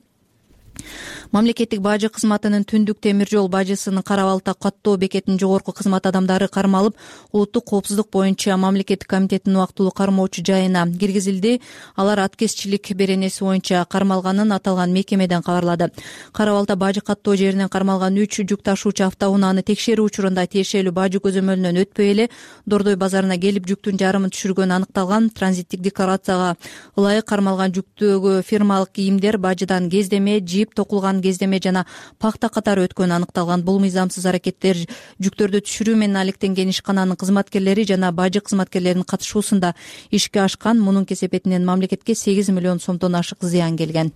Мамлекеттик бажы кызматынын Түндүк темир жол бажысынын Кара Балта каттоо бекетинин жогорку кызмат адамдары кармалып, улуттук коопсуздук боюнча мамлекеттик комитеттин убактылуу кармоочу жайына киргизилди. Алар аткезчилик беренеси боюнча кармалганын аталган мекемеден кабарлады. Кара Балта бажы каттоо жеринен кармалган үч жүк ташуучу автоунааны текшерүү учурунда тиешелүү бажы көзөмөлүнөн өтпөй эле Дордой базарына келип жүктүн жарымын түшүргөнү аныкталган. Транзиттик декларацияга ылайык кармалган жүктөгү фирмалык кийимдер бажыдан кездеме, жип, токулган кездеме жана пахта катары өткөнү аныкталган. Бул мыйзамсыз аракеттер жүктөрдү түшүрүү менен алектенген ишкананын кызматкерлери жана бажы кызматкерлеринин катышуусунда ишке ашкан. Мунун кесепетинен мамлекетке сегиз миллион сомдон ашык зыян келген.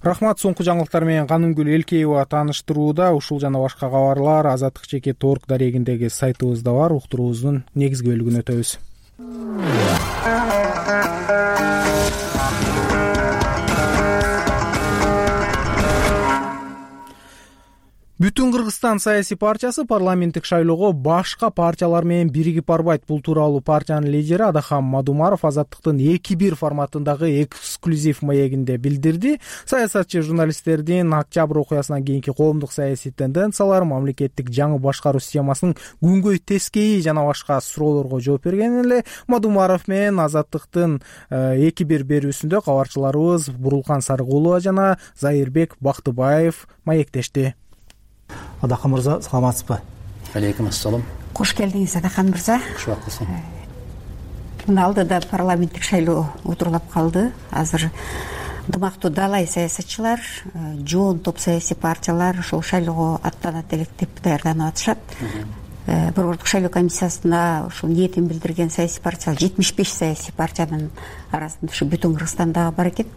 Рахмат. Соңку жаңылыктар менен Канымгүл Элкеева тааныштырууда. Ушул жана башка кабарлар азаттык чекит орг дарегиндеги сайтыбызда бар. Уктуруубуздун негизги бөлүгүн өтөбүз. Бүтүн Кыргызстан саясий партиясы парламенттик шайлоого башка партиялар менен биригип барбайт. Бул тууралуу партиянын лидери Адахан Мадумаров Азаттыктын эки бир форматындагы эксклюзив маегинде билдирди. Саясатчы журналисттердин октябрь окуясынан кийинки коомдук саясий тенденциялар, мамлекеттик жаңы башкаруу системасынын күнгөй тескейи жана башка суроолорго жооп берген эле Мадумаров менен Азаттыктын эки бир берүүсүндө кабарчыларыбыз Бурулкан Сарыгулова жана Зайырбек Бактыбаев маектешти. Адахан мырза, саламатсызбы? Алейкум ассалам. Кош келдиңиз, Адахан мырза. Кушбакпысың. Мына алдыда парламенттик шайлоо отурлап калды. Азыр дымактуу далай саясатчылар, жоон топ саясий партиялар ошол шайлоого аттанат элек деп даярданып атышат. Борбордук шайлоо комиссиясына ушул ниетин билдирген саясий партиялар жетимиш беш саясий партиянын арасында ушу Бүтүн Кыргызстан дагы бар экен.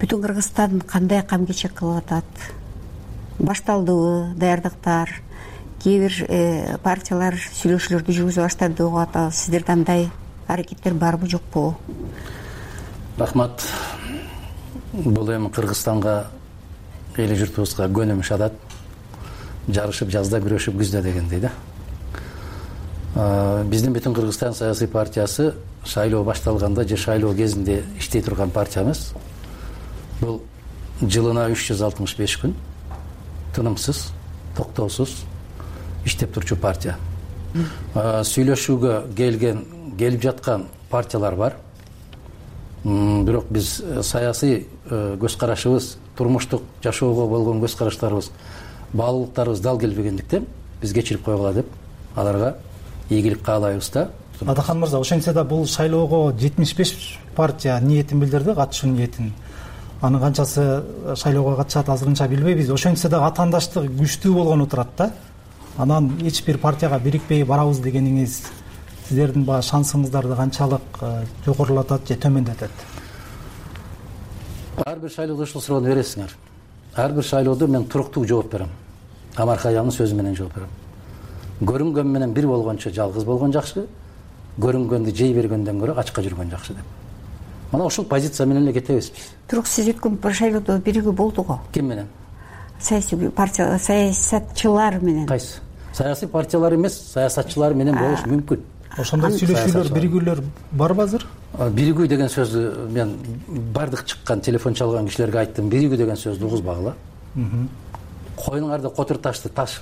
Бүтүн Кыргызстан кандай кам кечек кылып атат? Башталдыбы даярдыктар, кээ бир партиялар сүйлөшүүлөрдү жүргүзө баштады деп атабыз. Сиздерде андай аракеттер барбы, жокпу? Рахмат. Бул эми Кыргызстанга, эли журтубузга көнүмүш адат. Жарышып жазда, күрөшүп күздө дегендей да. Биздин Бүтүн Кыргызстан саясий партиясы шайлоо башталганда же шайлоо кезинде иштей турган партиябыз. Бул жылына үч жүз алтымыш беш күн тынымсыз, токтоосуз иштеп турчу партия. Сүйлөшүүгө келген, келип жаткан партиялар бар. Бирок биз саясий көз карашыбыз, турмуштук жашоого болгон көз караштарыбыз, баалуулуктарыбыз дал келбегендиктен биз кечирип койгула деп аларга ийгилик каалайбыз да. Адахан мырза, ошентсе да бул шайлоого жетимиш беш партия ниетин билдирди, катышуу ниетин. Анын канчасы шайлоого катышат азырынча билбейбиз. Ошентсе да атаандаштык күчтүү болгону турат да. Анан эч бир партияга бирикпей барабыз дегениңиз сиздердин баягы шансыңыздарды канчалык жогорулатат же төмөндөтөт? Ар бир шайлоодо ушул суроону бересиңер. Ар бир шайлоодо мен туруктуу жооп берем. Амархаянын сөзү менен жооп берем. Көрүнгөн менен бир болгончо жалгыз болгон жакшы, көрүнгөндү жей бергөндөн көрө ачка жүргөн жакшы деп. Мына ушул позиция менен эле кетебиз биз. Бирок сиз өткөн шайлоодо биригүү болду го. Ким менен? Саясий партия, саясатчылар менен. Кайсы? Саясий партиялар эмес, саясатчылар менен болуш мүмкүн. Ошондой сүйлөшүүлөр, биригүүлөр барбы азыр? Биригүү деген сөздү мен бардык чыккан телефон чалган кишилерге айттым. Биригүү деген сөздү угузбагыла. Коюңарды котур ташты таш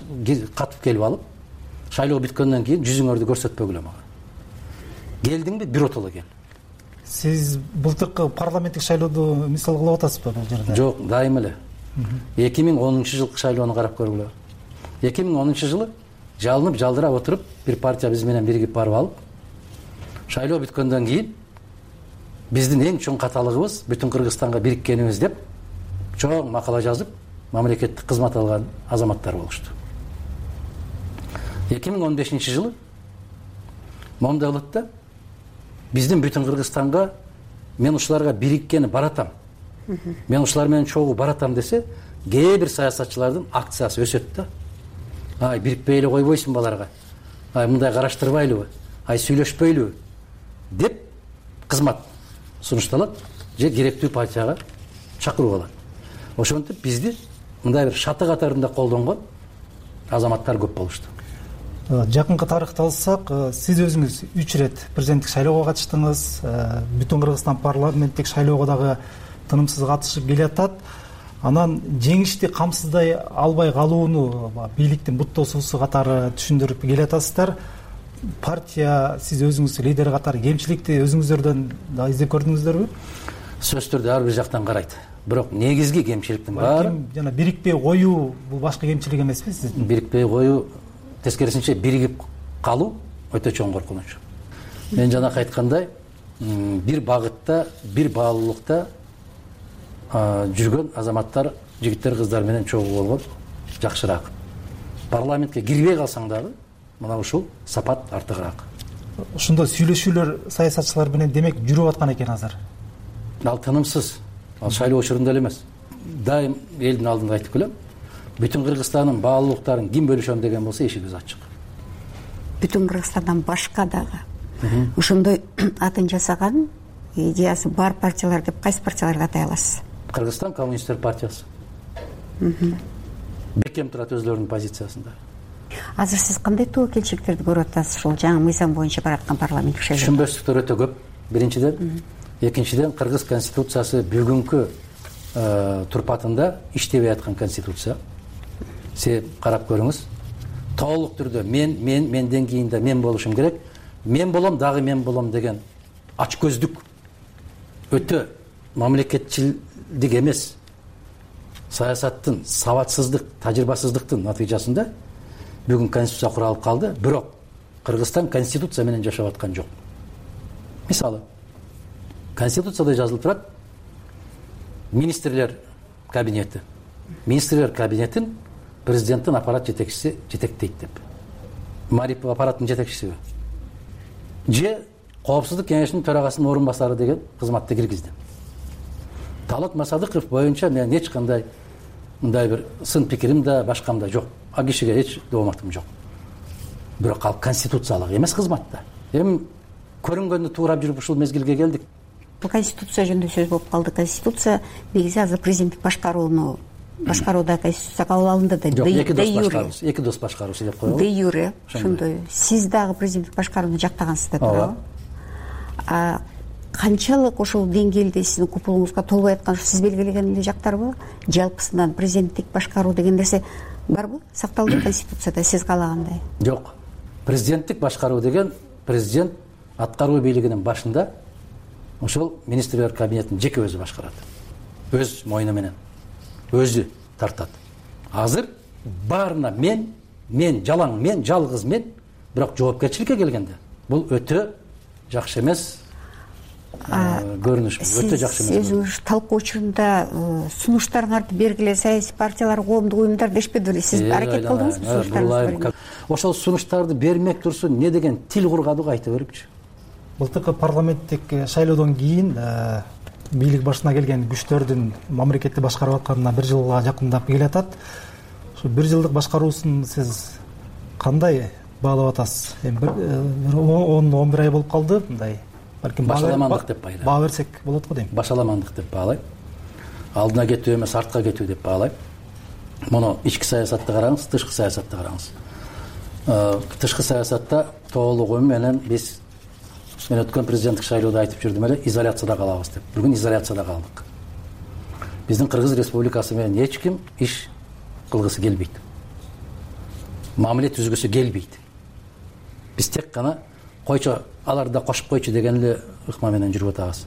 катып келип алып, шайлоо бүткөндөн кийин жүзүңөрдү көрсөтпөгүлө мага. Келдиңби, биротоло кел. Сиз былтыркы парламенттик шайлоодо мисал кылып атасызбы бул жерде? Жок, дайым эле. эки миң онунчу жылкы шайлоону карап көргүлө. эки миң онунчу жылы жалынып, жалдырап отуруп, бир партия биз менен биригип барып алып, шайлоо бүткөндөн кийин биздин эң чоң каталыгыбыз Бүтүн Кыргызстанга бириккенибиз деп чоң макала жазып, мамлекеттик кызмат алган азаматтар болушту. эки миң он бешинчи жылы момундай болот да, биздин Бүтүн Кыргызстанга мен ушуларга бириккени баратам, мен ушулар менен чогуу баратам десе, кээ бир саясатчылардын акциясы өсөт да. Ай, бирикпей эле койбойсуң баларга. Ай, мындай караштырбайлыбы? Ай, сүйлөшпөйлүбү? деп кызмат сунушталат же керектүү партияга чакырып алат. Ошентип бизди мындай бир шаты катарында колдонгон азаматтар көп болушту. Жакынкы тарыхты алсак, сиз өзүңүз үч ирет президенттик шайлоого катыштыңыз. Бүтүн Кыргызстан парламенттик шайлоого дагы тынымсыз катышып келатат. Анан жеңишти камсыздай албай калууну бийликтин буттосуусу катары түшүндүрүп келатасыздар. Партия, сиз өзүңүз лидер катары кемчиликти өзүңүздөрдөн да издеп көрдүңүздөрбү? Сөз түрдө ар бир жактан карайт. Бирок негизги кемчиликтин баары жана бирикпей коюу бул башкы кемчилик эмеспи сиздин? Бирикпей коюу, тескерисинче биригип калуу өтө чоң коркунуч. Мен жанакы айткандай, бир багытта, бир баалуулукта жүргөн азаматтар, жигиттер, кыздар менен чогуу болгон жакшыраак. Парламентке кирбей калсаң дагы мына ушул сапат артыгыраак. Ошондой сүйлөшүүлөр саясатчылар менен демек жүрүп аткан экен азыр. Ал тынымсыз. Ал шайлоо учурунда эле эмес. Дайым элдин алдында айтып келем. Бүтүн Кыргызстандын баалуулуктарын ким бөлүшөм деген болсо эшигибиз ачык. Бүтүн Кыргызстандан башка дагы ошондой атын жасаган идеясы бар партиялар деп кайсы партияларды атай аласыз? Кыргызстан коммунисттер партиясы. Бекем турат өзлөрүнүн позициясында. Азыр сиз кандай тобокелчиликтерди көрүп атасыз ушул жаңы мыйзам боюнча бараткан парламенттик шайлоо? Түшүнбөстүктөр өтө көп. Биринчиден, экинчиден, Кыргыз конституциясы бүгүнкү турпатында иштебей аткан конституция. Сиз карап көрүңүз. Толук түрдө мен, мен, менден кийин да мен болушум керек. Мен болом, дагы мен болом деген ачкөздүк, өтө мамлекетчилдик эмес, саясаттын сабатсыздык, тажрыйбасыздыктын натыйжасында бүгүн конституция куралып калды. Бирок Кыргызстан конституция менен жашап аткан жок. Мисалы, конституцияда жазылып турат: министрлер кабинети. Министрлер кабинетин президенттин аппарат жетекчиси жетектейт деп. Марип аппараттын жетекчисиби? Же Коопсуздук кеңешинин төрагасынын орун басары деген кызматты киргизди. Талат Масадыков боюнча мен эч кандай мындай бир сын пикирим да, башкам да жок. А кишиге эч дооматым жок. Бирок ал конституциялык эмес кызматта. Эми көрүнгөндү туурап жүрүп ушул мезгилге келдик. Бул конституция жөнүндө сөз болуп калды. Конституция негизи азыр президенттик башкарууну башкарууда конституция кабыл алынды да. Жок, эки дос башкаруусу, эки дос башкаруусу деп коелу. Де юре, ошондой. Сиз дагы президенттик башкарууну жактагансыз да, туурабы? А канчалык ошол деңгээлде сиздин купулуңузга толбой аткан сиз белгилеген эле жактарбы? Жалпысынан президенттик башкаруу деген нерсе барбы? Сакталды конституцияда сиз каалагандай? Жок. Президенттик башкаруу деген президент аткаруу бийлигинин башында ошол министрлер кабинетин жеке өзү башкарат. Өз мойну менен өзү тартат. Азыр баарына мен, мен жалаң мен, жалгыз мен, бирок жоопкерчиликке келгенде бул өтө жакшы эмес көрүнүш, өтө жакшы эмес. Сиз өзүңүз талкуу учурунда сунуштарыңарды бергиле, саясий партиялар, коомдук уюмдар дешпедиби? Сиз аракет кылдыңызбы сунуштарыңызды? Ошол сунуштарды бермек турсун, не деген тил кургадык айта берипчи. Былтыркы парламенттик шайлоодон кийин бийлик башына келген күчтөрдүн мамлекетти башкарып атканына бир жылга жакындап келатат. Ушу бир жылдык башкаруусун сиз кандай баалап атасыз? Эми он он бир ай болуп калды, мындай. Балким башаламандык деп байлайм. Баа берсек болот го дейм. Башаламандык деп баалайм. Алдына кетүү эмес, артка кетүү деп баалайм. Муну ички саясатты караңыз, тышкы саясатты караңыз. Тышкы саясатта толугу менен биз мен өткөн президенттик шайлоодо айтып жүрдүм эле, изоляцияда калабыз деп. Бүгүн изоляцияда калдык. Биздин Кыргыз Республикасы менен эч ким иш кылгысы келбейт. Мамиле түзгүсү келбейт. Биз тек гана койчу, аларды да кошуп койчу деген эле ыкма менен жүрүп атабыз.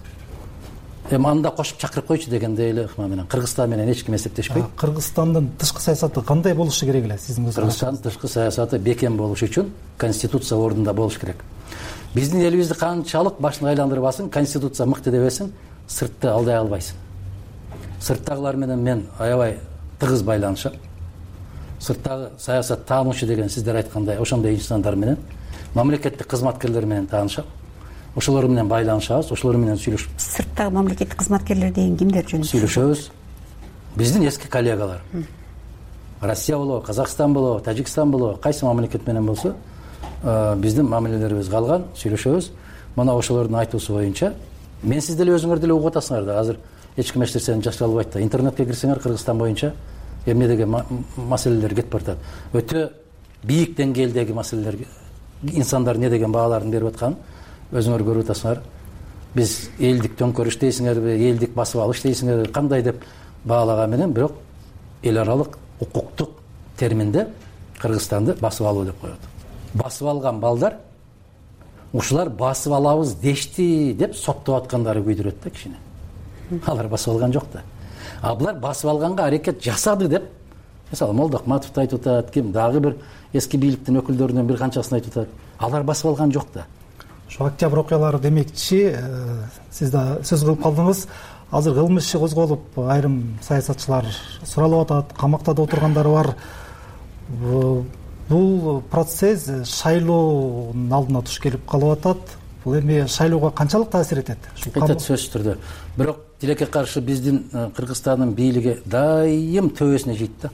Эми анда кошуп чакырып койчу дегендей эле ыкма менен Кыргызстан менен эч ким эсептешпейт. Кыргызстандын тышкы саясаты кандай болушу керек эле сиздин көзүңүздө? Кыргызстандын тышкы саясаты бекем болуш үчүн конституция ордунда болуш керек. Биздин элибизди канчалык башын айландырып алсын, конституция мыкты дебесиң, сыртты алдай албайсың. Сырттагылар менен мен аябай тыгыз байланышам. Сырттагы саясат таануучу деген сиздер айткандай ошондой инсандар менен, мамлекеттик кызматкерлер менен таанышам. ошолор менен байланышабыз, ошолор менен сүйлөшүп. Сырттагы мамлекеттик кызматкерлер деген кимдер жөнүндө сүйлөшөбүз? Биздин эски коллегалар. Россия болобу, Казакстан болобу, Тажикстан болобу, кайсы мамлекет менен болсо, биздин мамилелерибиз калган, сүйлөшөбүз. Мына ошолордун айтуусу боюнча, мен сиз деле өзүңөр деле угуп атасыңар да. Азыр эч ким эч нерсени жашыра албайт да. Интернетке кирсеңер Кыргызстан боюнча эмне деген маселелер кетип баратат. Өтө бийик деңгээлдеги маселелер, инсандар не деген бааларын берип атканын өзүңөр көрүп атасыңар. Биз элдик төңкөрүш дейсиңерби, элдик басып алыш дейсиңерби, кандай деп баалаган менен, бирок эл аралык укуктук терминде Кыргызстанды басып алуу деп коет. Басып алган балдар ушулар басып алабыз дешти деп соттоп аткандары күйдүрөт да кичине. Алар басып алган жок да. А булар басып алганга аракет жасады деп, мисалы Молдохматовду айтып атат, ким дагы бир эски бийликтин өкүлдөрүнөн бир канчасын айтып атат. Алар басып алган жок да. Ошо октябрь окуялары демекчи, сиз да сөз кылып калдыңыз. Азыр кылмыш иши козголуп, айрым саясатчылар суралып атат, камакта да отургандары бар. Бул процесс шайлоонун алдына туш келип калып атат. Бул эми шайлоого канчалык таасир этет? Этет, сөзсүз түрдө. Бирок тилекке каршы биздин Кыргызстандын бийлиги дайым төбөсүнө жейт да.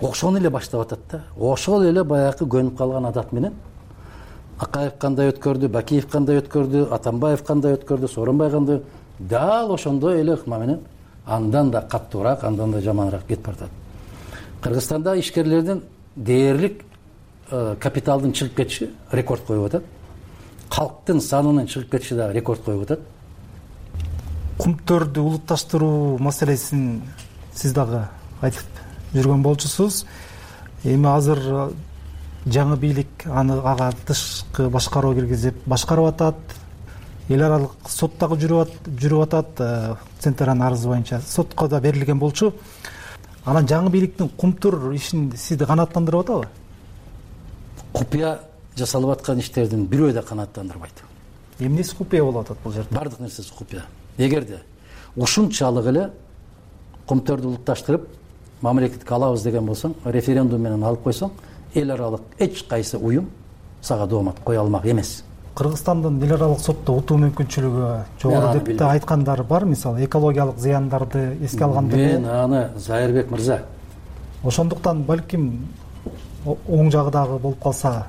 Ошону эле баштап атат да. Ошол эле баягы көнүп калган адат менен Акаев кандай өткөрдү, Бакиев кандай өткөрдү, Атамбаев кандай өткөрдү, Сооронбай кандай, дал ошондой эле ыкма менен андан да каттуураак, андан да жаманыраак кетип баратат. Кыргызстанда ишкерлердин дээрлик капиталдын чыгып кетиши рекорд коюп атат. Калктын санынын чыгып кетиши да рекорд коюп атат. Кумтөрдү улутташтыруу маселесин сиз дагы айтып жүргөн болчусуз. Эми азыр жаңы бийлик аны ага тышкы башкаруу киргизип башкарып атат. Эл аралык сот дагы жүрүп атат. Центрдин арызы боюнча сотко да берилген болчу. Анан жаңы бийликтин кумтур ишин сизди канааттандырып атабы? Купуя жасалып аткан иштердин бирөө да канааттандырбайт. Эмнеси купуя болуп атат бул жерде? Бардык нерсеси купуя. Эгерде ушунчалык эле кумтөрдү улутташтырып мамлекетке алабыз деген болсоң, референдум менен алып койсоң, эл аралык эч кайсы уюм сага доомат кое алмак эмес. Кыргызстандын эл аралык сотто утуу мүмкүнчүлүгү жогору деп да айткандар бар, мисалы экологиялык зыяндарды эске алганда. Мен аны Зайырбек мырза, ошондуктан балким оң жагы дагы болуп калса.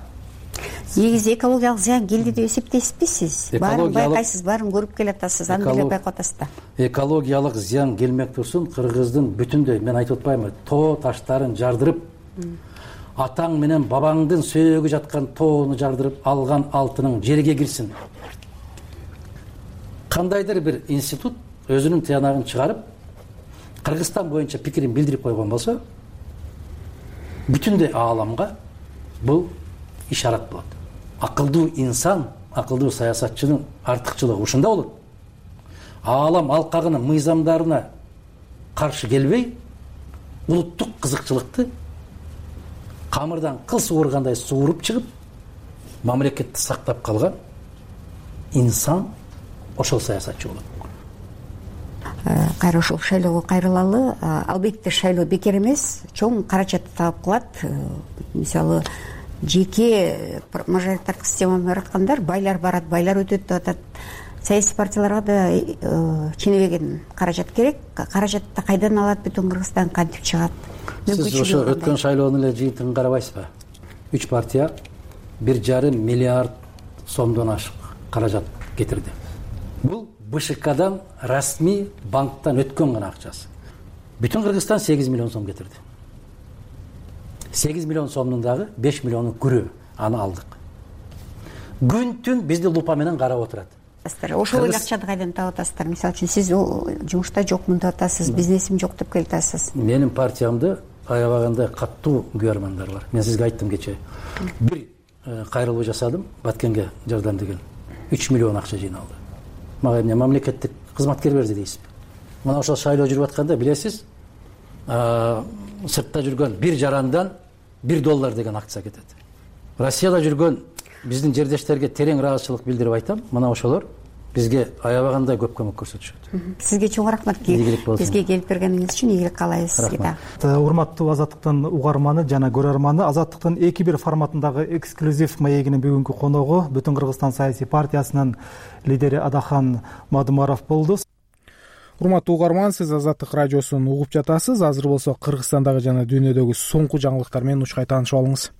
Негизи экологиялык зыян келди деп эсептейсизби сиз? Баарын байкайсыз, баарын көрүп келатасыз, аны деле байкап атасыз да. Экологиялык зыян келмек турсун, Кыргыздын бүтүндөй, мен айтып атпаймынбы, тоо таштарын жардырып, атаң менен бабаңдын сөөгү жаткан тоону жардырып алган алтының жерге кирсин. Кандайдыр бир институт өзүнүн тыянагын чыгарып, Кыргызстан боюнча пикирин билдирип койгон болсо, бүтүндөй ааламга бул ишарат болот. Акылдуу инсан, акылдуу саясатчынын артыкчылыгы ушунда болот. Аалам алкагынын мыйзамдарына каршы келбей, улуттук кызыкчылыкты камырдан кыл суургандай сууруп чыгып, мамлекетти сактап калган инсан ошол саясатчы болот. Кайра ушул шайлоого кайрылалы. Албетте шайлоо бекер эмес, чоң каражат талап кылат. Мисалы, жеке мажоритардык системаны ыраткандар, байлар барат, байлар өтөт деп атат. Саясий партияларга да ченебеген каражат керек. Каражатты кайдан алат, бүтүн Кыргызстан кантип чыгат? Сиз ошо өткөн шайлоонун эле жыйынтыгын карабайсызбы? Үч партия бир жарым миллиард сомдон ашык каражат кетирди. Бул БШКдан расмий банктан өткөн гана акчасы. Бүтүн Кыргызстан сегиз миллион сом кетирди. сегиз миллион сомдун дагы беш миллиону күрөө, аны алдык. Күн түн бизди лупа менен карап отурат. Ошол эле акчаны кайдан таап атасыздар? Мисалы үчүн сиз жумушта жокмун деп атасыз, бизнесим жок деп келатасыз. Менин партиямды аябагандай каттуу күйөрмандар бар. Мен сизге айттым кечээ. Бир кайрылуу жасадым, Баткенге жардам деген. үч миллион акча жыйналды. Мага эмне мамлекеттик кызматкер берди дейсизби? Мына ошол шайлоо жүрүп атканда билесиз, сыртта жүргөн бир жарандан бир доллар деген акция кетет. Россияда жүргөн биздин жердештерге терең ыраазычылык билдирип айтам. Мына ошолор бизге аябагандай көп көмөк көрсөтүшөт. Сизге чоң рахмат, бизге келип бергениңиз үчүн. Ийгилик каалайбыз сизге да. Урматтуу Азаттыктын угарманы жана көрөрманы, Азаттыктын эки бир форматындагы эксклюзив маегинин бүгүнкү коногу Бүтүн Кыргызстан саясий партиясынын лидери Адахан Мадумаров болду. Урматтуу угарман, сиз Азаттык радиосун угуп жатасыз. Азыр болсо Кыргызстандагы жана дүйнөдөгү соңку жаңылыктар менен учкай таанышып алыңыз.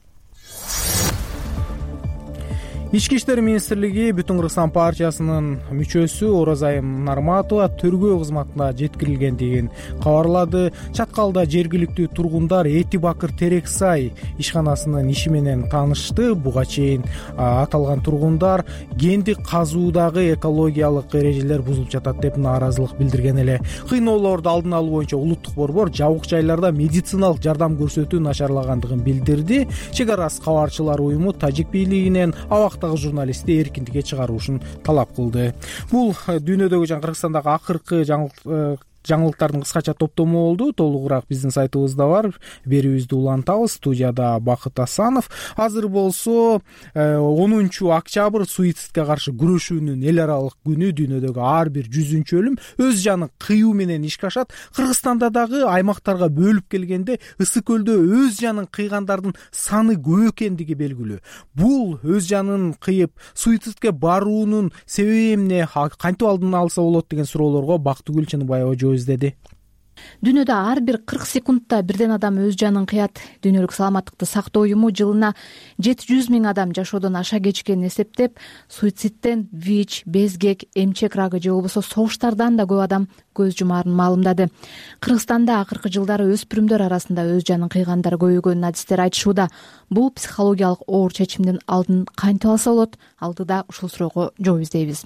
Ички иштер министрлиги Бүтүн Кыргызстан партиясынын мүчөсү Оразайым Нарматова тергөө кызматына жеткирилгендигин кабарлады. Чаткалда жергиликтүү тургундар Эти Бакыр Терексай ишканасынын иши менен таанышты. Буга чейин аталган тургундар гендик казуудагы экологиялык эрежелер бузулуп жатат деп нааразылык билдирген эле. Кыйноолорду алдын алуу боюнча улуттук борбор жабык жайларда медициналык жардам көрсөтүү начарлагандыгын билдирди. Чек арасы кабарчылар уюму тажик бийлигинен абактагы журналистти эркиндикке чыгаруушун талап кылды. Бул дүйнөдөгү жана Кыргызстандагы акыркы жаңылыктардын кыскача топтому болду. Толугураак биздин сайтыбызда бар. Берүүбүздү улантабыз. Студияда Бакыт Асанов. Азыр болсо онунчу октябрь суицидке каршы күрөшүүнүн эл аралык күнү. Дүйнөдөгү ар бир жүзүнчү өлүм өз жанын кыюу менен ишке ашат. Кыргызстанда дагы аймактарга бөлүп келгенде Ысык көлдө өз жанын кыйгандардын саны көп экендиги белгилүү. Бул өз жанын кыйып суицидке баруунун себеби эмне, кантип алдын алса болот деген суроолорго Бактыгүл Чыныбаева жооп издеди. Дүйнөдө ар бир кырк секундта бирден адам өз жанын кыят. Дүйнөлүк саламаттыкты сактоо уюму жылына жети жүз миң адам жашоодон аша кечкенин эсептеп, суицидтен ВИЧ, безгек, эмчек рагы же болбосо согуштардан да көп адам көз жумаарын маалымдады. Кыргызстанда акыркы жылдары өспүрүмдөр арасында өз жанын кыйгандар көбөйгөнүн адистери айтышууда. Бул психологиялык оор чечимдин алдын кантип алса болот? Алдыда ушул суроого жооп издейбиз.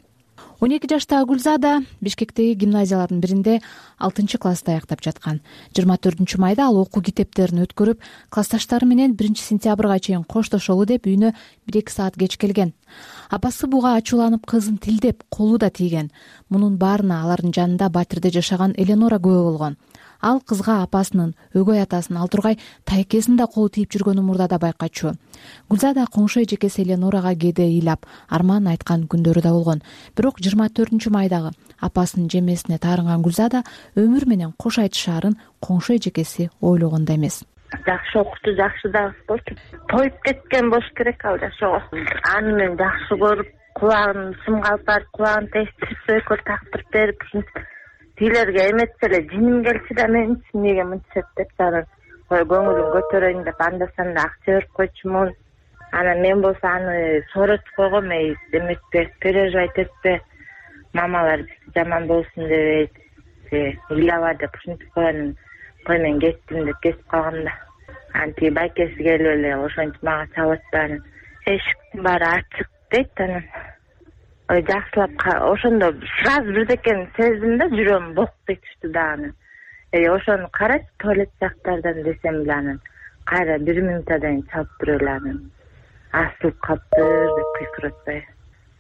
он эки жаштагы Гүлзада Бишкектеги гимназиялардын биринде алтынчы класста аяктап жаткан. жыйырма төртүнчү майда ал окуу китептерин өткөрүп, классташтары менен биринчи сентябрга чейин коштошолу деп үйүнө бир эки саат кеч келген. Апасы буга ачууланып кызын тилдеп, колу да тийген. Мунун баарына алардын жанында Батирде жашаган Эленора күбө болгон. Ал кызга апасынын, өгөй атасынын, ал тургай тайкесин да колу тийип жүргөнүн мурда да байкачу. Гүлзада коңшу эжекеси Эленорага кээде ыйлап, арман айткан күндөрү да болгон. Бирок жыйырма төртүнчү майдагы апасынын жемесине таарынган Гүлзада өмүр менен кош айтышаарын коңшу эжекеси ойлогондой эмес. Жакшы окуту, жакшы дагы болчу. Тоюп кеткен болуш керек ал жашоо. Аны мен жакшы көрүп, кулагын сымга алып барып, кулагын тестирип, сөйкөл тактырып берип, тилерге эметсе эле жиним келчү да мен эмнеге мынтип деп жана ой көңүлүм көтөрөйүн деп анда санда акча берип койчумун. Анан мен болсо аны сооротуп койгом, эй эметпе, переживать этпе, мамалар жаман болсун дебейт, ыйлаба деп ушинтип койгон. Кой мен кеттим деп кетип калгам да. Анан тиги байкеси келип эле ошентип мага чалып атпайбы. Эшиктин баары ачык дейт анан. Ой жакшылап ошондо сразу бирдекени сездим да, жүрөгүм бок кетишти да анан. Эй ошону карачы туалет жактардан десем эле анан кайра бир минутадан кийин чалып туруп эле анан асылып калыптыр деп кыйкырып атпайбы.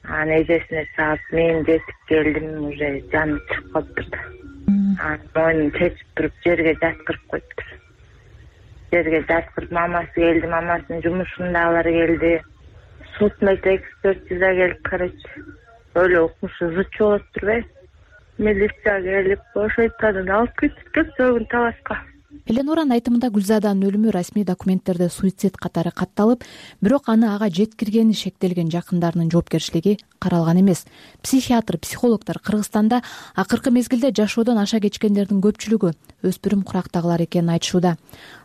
Анан эжесине чалып мен жетип келдим, уже жаным чыгып калыптыр да. Анан мойнун чечип туруп жерге жаткырып коюптур. Жерге жаткырып мамасы келди, мамасынын жумушундагылар келди. Судмедик экспертиза келип, короче, өлө укмушу зычу болуп турбайбы? Милиция келип, ошойтадан алып кетип кетти табашка. Эленоранын айтымында Гүлзаданын өлүмү расмий документтерде суицид катары катталып, бирок аны ага жеткиргени шектелген жакындарынын жоопкерчилиги каралган эмес. Психиатр, психологдор Кыргызстанда акыркы мезгилде жашоодон аша кечкендердин көпчүлүгү өспүрүм курактагылар экенин айтышууда.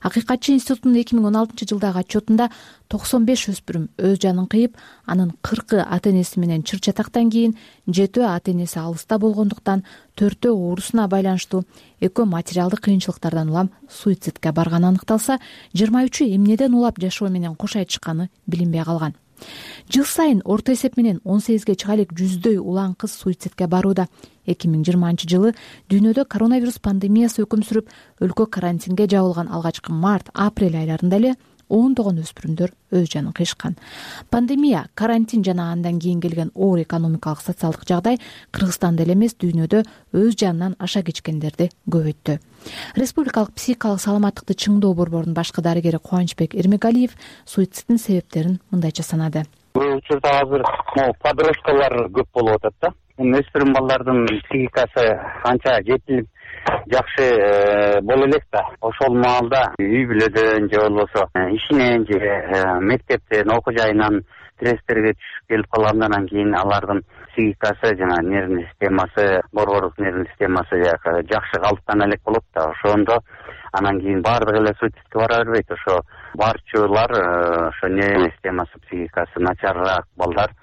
Акыйкатчы институтунун эки миң он алтынчы жылдагы отчетунда токсон беш өспүрүм өз жанын кыйып, анын кыркы ата энеси менен чыр чатактан кийин, жетөө ата энеси алыста болгондуктан, төртөө оорусуна байланыштуу, экөө материалдык кыйынчылыктардан улам суицидке барганы аныкталса, жыйырма үчү эмнеден улап жашоо менен кош айтышканы билинбей калган. Жыл сайын орто эсеп менен он сегизге чыга элек жүздөй улан кыз суицидке барууда. эки миң жыйырманчы жылы дүйнөдө коронавирус пандемиясы өкүм сүрүп, өлкө карантинге жабылган алгачкы март, апрель айларында эле ондогон өспүрүмдөр өз жанын кыйышкан. Пандемия, карантин жана андан кийин келген оор экономикалык социалдык жагдай Кыргызстанда эле эмес, дүйнөдө өз жанынан аша кечкендерди көбөйттү. Республикалык психикалык саламаттыкты чыңдоо борборунун башкы дарыгери Кубанычбек Эрмегалиев суицидтин себептерин мындайча санады. Бул учурда азыр подросткалар көп болуп атат да. эми өспүрүм балдардын психикасы анча жетилип жакшы боло элек да. Ошол маалда үй бүлөдөн же болбосо ишинен же мектептен окуу жайынан стресстерге түшүп келип калгандан кийин алардын психикасы жана нервный системасы, борбордук нервный системасы жакшы калыптана элек болот да. Ошондо анан кийин баардыгы эле суицидке бара бербейт. Ошо барчулар ошо нервный системасы, психикасы начарыраак балдар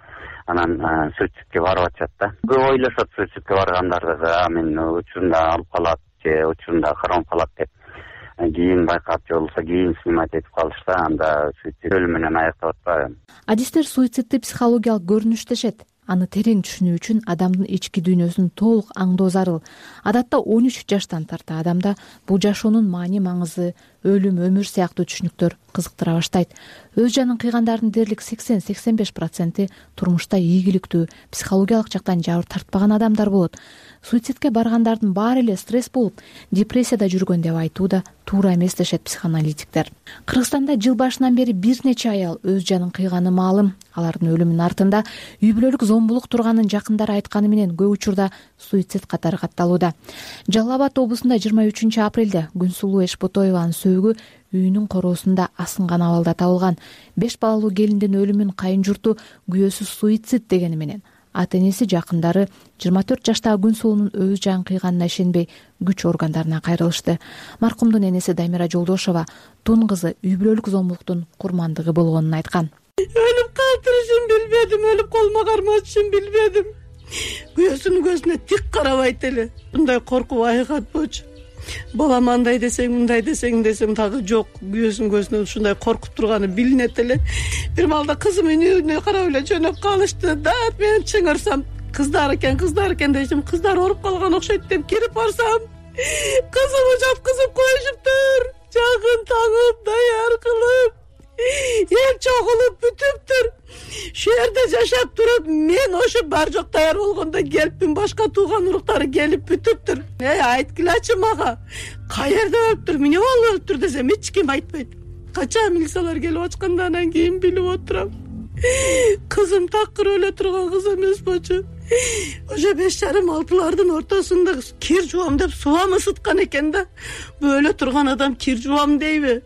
анан суицидке барып атышат да. Көп ойлошот суицидке баргандарды, а мен учурунда алып калат же учурунда кармап калат деп. Кийин байкап же болбосо кийин снимать этип калышса, анда суицид өлүм менен аяктап атпайбы. Адистер суицидти психологиялык көрүнүш дешет. Аны терең түшүнүү үчүн адамдын ички дүйнөсүн толук аңдоо зарыл. Адатта он үч жаштан тарта адамда бул жашоонун маани маңызы, өлүм, өмүр сыяктуу түшүнүктөр кызыктыра баштайт. Өз жанын кыйгандардын дээрлик сексен — сексен беш проценти турмушта ийгиликтүү, психологиялык жактан жабыр тартпаган адамдар болот. Суицидке баргандардын баары эле стресс болуп, депрессияда жүргөн деп айтуу да туура эмес дешет психоаналитиктер. Кыргызстанда жыл башынан бери бир нече аял өз жанын кыйганы маалым. Алардын өлүмүнүн артында үй бүлөлүк зомбулук турганын жакындары айтканы менен көп учурда суицид катары катталууда. Жалал Абад облусунда жыйырма үчүнчү апрелде Күнсулуу Эшботоеванын сөөгү үйүнүн короосунда асынган абалда табылган. Беш балалуу келиндин өлүмүн кайын журту күбөсү суицид дегени менен ата энеси, жакындары жыйырма төрт жаштагы Күнсулуунун өз жанын кыйганына ишенбей күч органдарына кайрылышты. Маркумдун энеси Дамира Жолдошова тун кызы үй бүлөлүк зомбулуктун курмандыгы болгонун айткан. Өлүп калтырышын билбедим, өлүп колума кармашышын билбедим. Күйөөсүнүн көзүнө тик карабайт эле. Мындай коркуп айыгатпочу. Балам андай десең, мындай десең десем дагы жок. Күйөөсүнүн көзүнөн ушундай коркуп турганы билинет эле. Бир маалда кызым үйүнө карап эле жөнөп калышты. Дат мен чыңырсам, кыздар экен, кыздар экен дешим, кыздар ооруп калган окшойт деп кирип барсам, кызымы жаткызып коюшуптур. Жагын таңып, даяр кылып, эл чогулуп бүтүптүр. Шу жерде жашап туруп, мен ошо бар жок даяр болгондо келипмин, башка тууган уруктары келип бүтүптүр. Эй, айткылачы мага, каерде өлүптүр, эмне болуп өлүптүр десем, эч ким айтпайт. Качан милициялар келип ачкандан кийин билип отурам. Кызым такыр өлө турган кыз эмес болчу. Ошо беш жарым алтылардын ортосунда кир жуам деп субам ысыткан экен да. Өлө турган адам кир жуам дейби?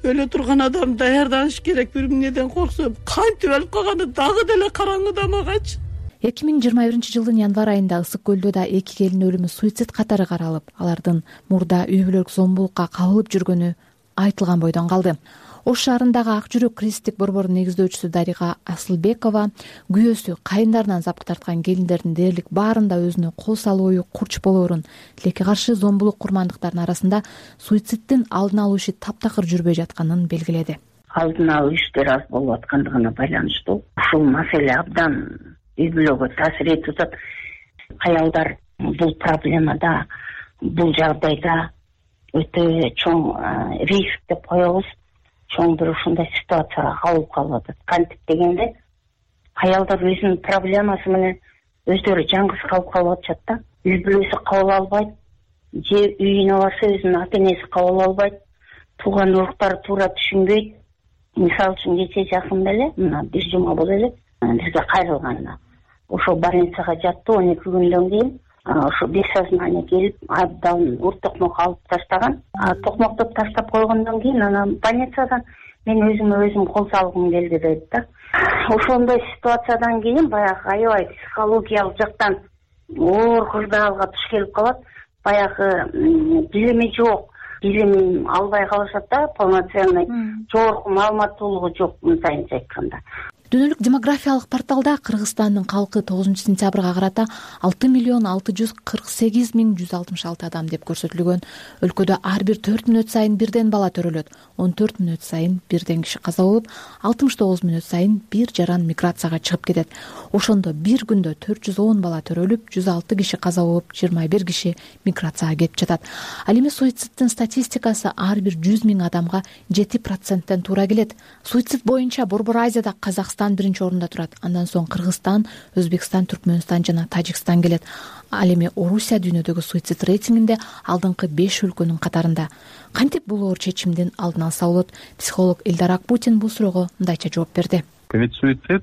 Өлө турган адам даярданыш керек, бир эмнеден корксо. Кантип өлүп калганы дагы деле караңгыда магачы. эки миң жыйырма биринчи жылдын январь айында Ысык көлдө да эки келин өлүмү суицид катары каралып, алардын мурда үй бүлөлүк зомбулукка кабылып жүргөнү айтылган бойдон калды. Ош шаарындагы Ак жүрөк кризистик борбордун негиздөөчүсү Дарига Асылбекова күйөөсү кайындарынан запкы тарткан келиндердин дээрлик баарында өзүнө кол салуу ою курч болоорун, тилекке каршы зомбулук курмандыктардын арасында суициддин алдын алуу иши таптакыр жүрбөй жатканын белгиледи. Алдын алуу иштери аз болуп аткандыгына байланыштуу ушул маселе абдан үй бүлөгө таасир этип атат. Аялдар бул проблемада, бул жагдайда өтө чоң риск деп коебуз. Чоң бир ушундай ситуацияга кабылып калып атат. Кантип дегенде, аялдар өзүнүн проблемасы менен өздөрү жалгыз калып калып атышат да. Үй бүлөсү кабыл албайт, же үйүнө барса өзүнүн ата энеси кабыл албайт, тууган уруктары туура түшүнбөйт. Мисалы үчүн кече жакында эле, мына бир жума боло элек, бизге кайрылган. Ошо больницага жатты, он эки күндөн кийин ошо бессознание келип, абдан ур токмок алып таштаган. Токмоктоп таштап койгондон кийин анан больницадан мен өзүмө өзүм кол салгым келди дейт да. Ошондой ситуациядан кийин баягы аябай психологиялык жактан оор кырдаалга туш келип калат. Баягы билими жок, билим албай калышат да, полноценный жогорку маалыматтуулугу жок, мындайынча айтканда. Дүйнөлүк демографиялык порталда Кыргызстандын калкы тогузунчу сентябрга карата алты миллион алты жүз кырк сегиз миң жүз алтымыш алты адам деп көрсөтүлгөн. Өлкөдө ар бир төрт мүнөт сайын бирден бала төрөлөт. он төрт мүнөт сайын бирден киши каза болуп, алтымыш тогуз мүнөт сайын бир жаран миграцияга чыгып кетет. Ошондо бир күндө төрт жүз он бала төрөлүп, жүз алты киши каза болуп, жыйырма бир киши миграцияга кетип жатат. Ал эми суициддин статистикасы ар бир жүз миң адамга жети проценттен туура келет. Суицид боюнча Борбор Азияда Казакстан биринчи орунда турат. Андан соң Кыргызстан, Өзбекстан, Түркмөнстан жана Тажикстан келет. Ал эми Орусия дүйнөдөгү суицид рейтингинде алдыңкы беш өлкөнүн катарында. Кантип бул оор чечимдин алдын алса болот? Психолог Элдар Акпутин бул суроого мындайча жооп берди. Ведь суицид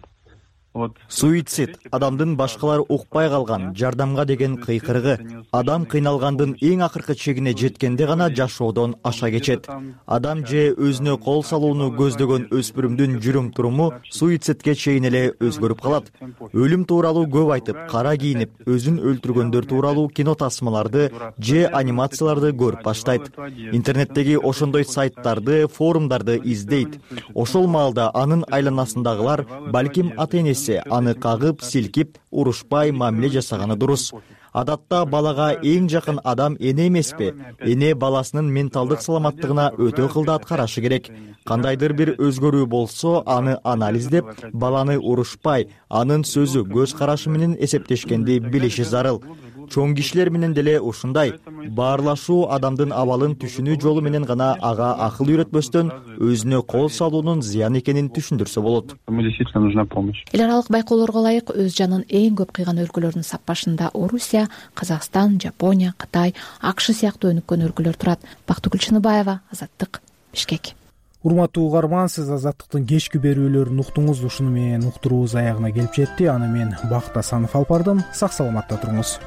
суицид адамдын башкалар укпай калган жардамга деген кыйкырыгы. Адам кыйналгандын эң акыркы чегине жеткенде гана жашоодон аша кечет. Адам же өзүнө кол салууну көздөгөн өспүрүмдүн жүрүм туруму суицидке чейин эле өзгөрүп калат. Өлүм тууралуу көп айтып, кара кийинип, өзүн өлтүргөндөр тууралуу кино тасмаларды же анимацияларды көрүп баштайт. Интернеттеги ошондой сайттарды, форумдарды издейт. Ошол маалда анын айланасындагылар балким ата-энеси аны кагып, силкип, урушпай мамиле жасаганы дурус. Адатта балага эң жакын адам эне эмеспи? Эне баласынын менталдык саламаттыгына өтө кылдаат карашы керек. Кандайдыр бир өзгөрүү болсо, аны анализдеп, баланы урушпай, анын сөзү, көз карашы менен эсептешкенди билиши зарыл. Чоң кишилер менен деле ушундай. Баарлашуу адамдын абалын түшүнүү жолу менен гана ага акыл үйрөтпөстөн өзүнө кол салуунун зыян экенин түшүндүрсө болот. Эл аралык байкоолорго ылайык өз жанын эң көп кыйган өлкөлөрдүн саппашында Орусия, Казакстан, Жапония, Кытай, АКШ сыяктуу өнүккөн өлкөлөр турат. Бактыгүл Чыныбаева, Азаттык, Бишкек. Урматтуу угарман, сиз Азаттыктын кечки берүүлөрүн уктуңуз. Ушуну менен уктуруубуз аягына келип жетти. Аны мен Бакыт Асанов алып бардым. Сак саламатта туруңуз.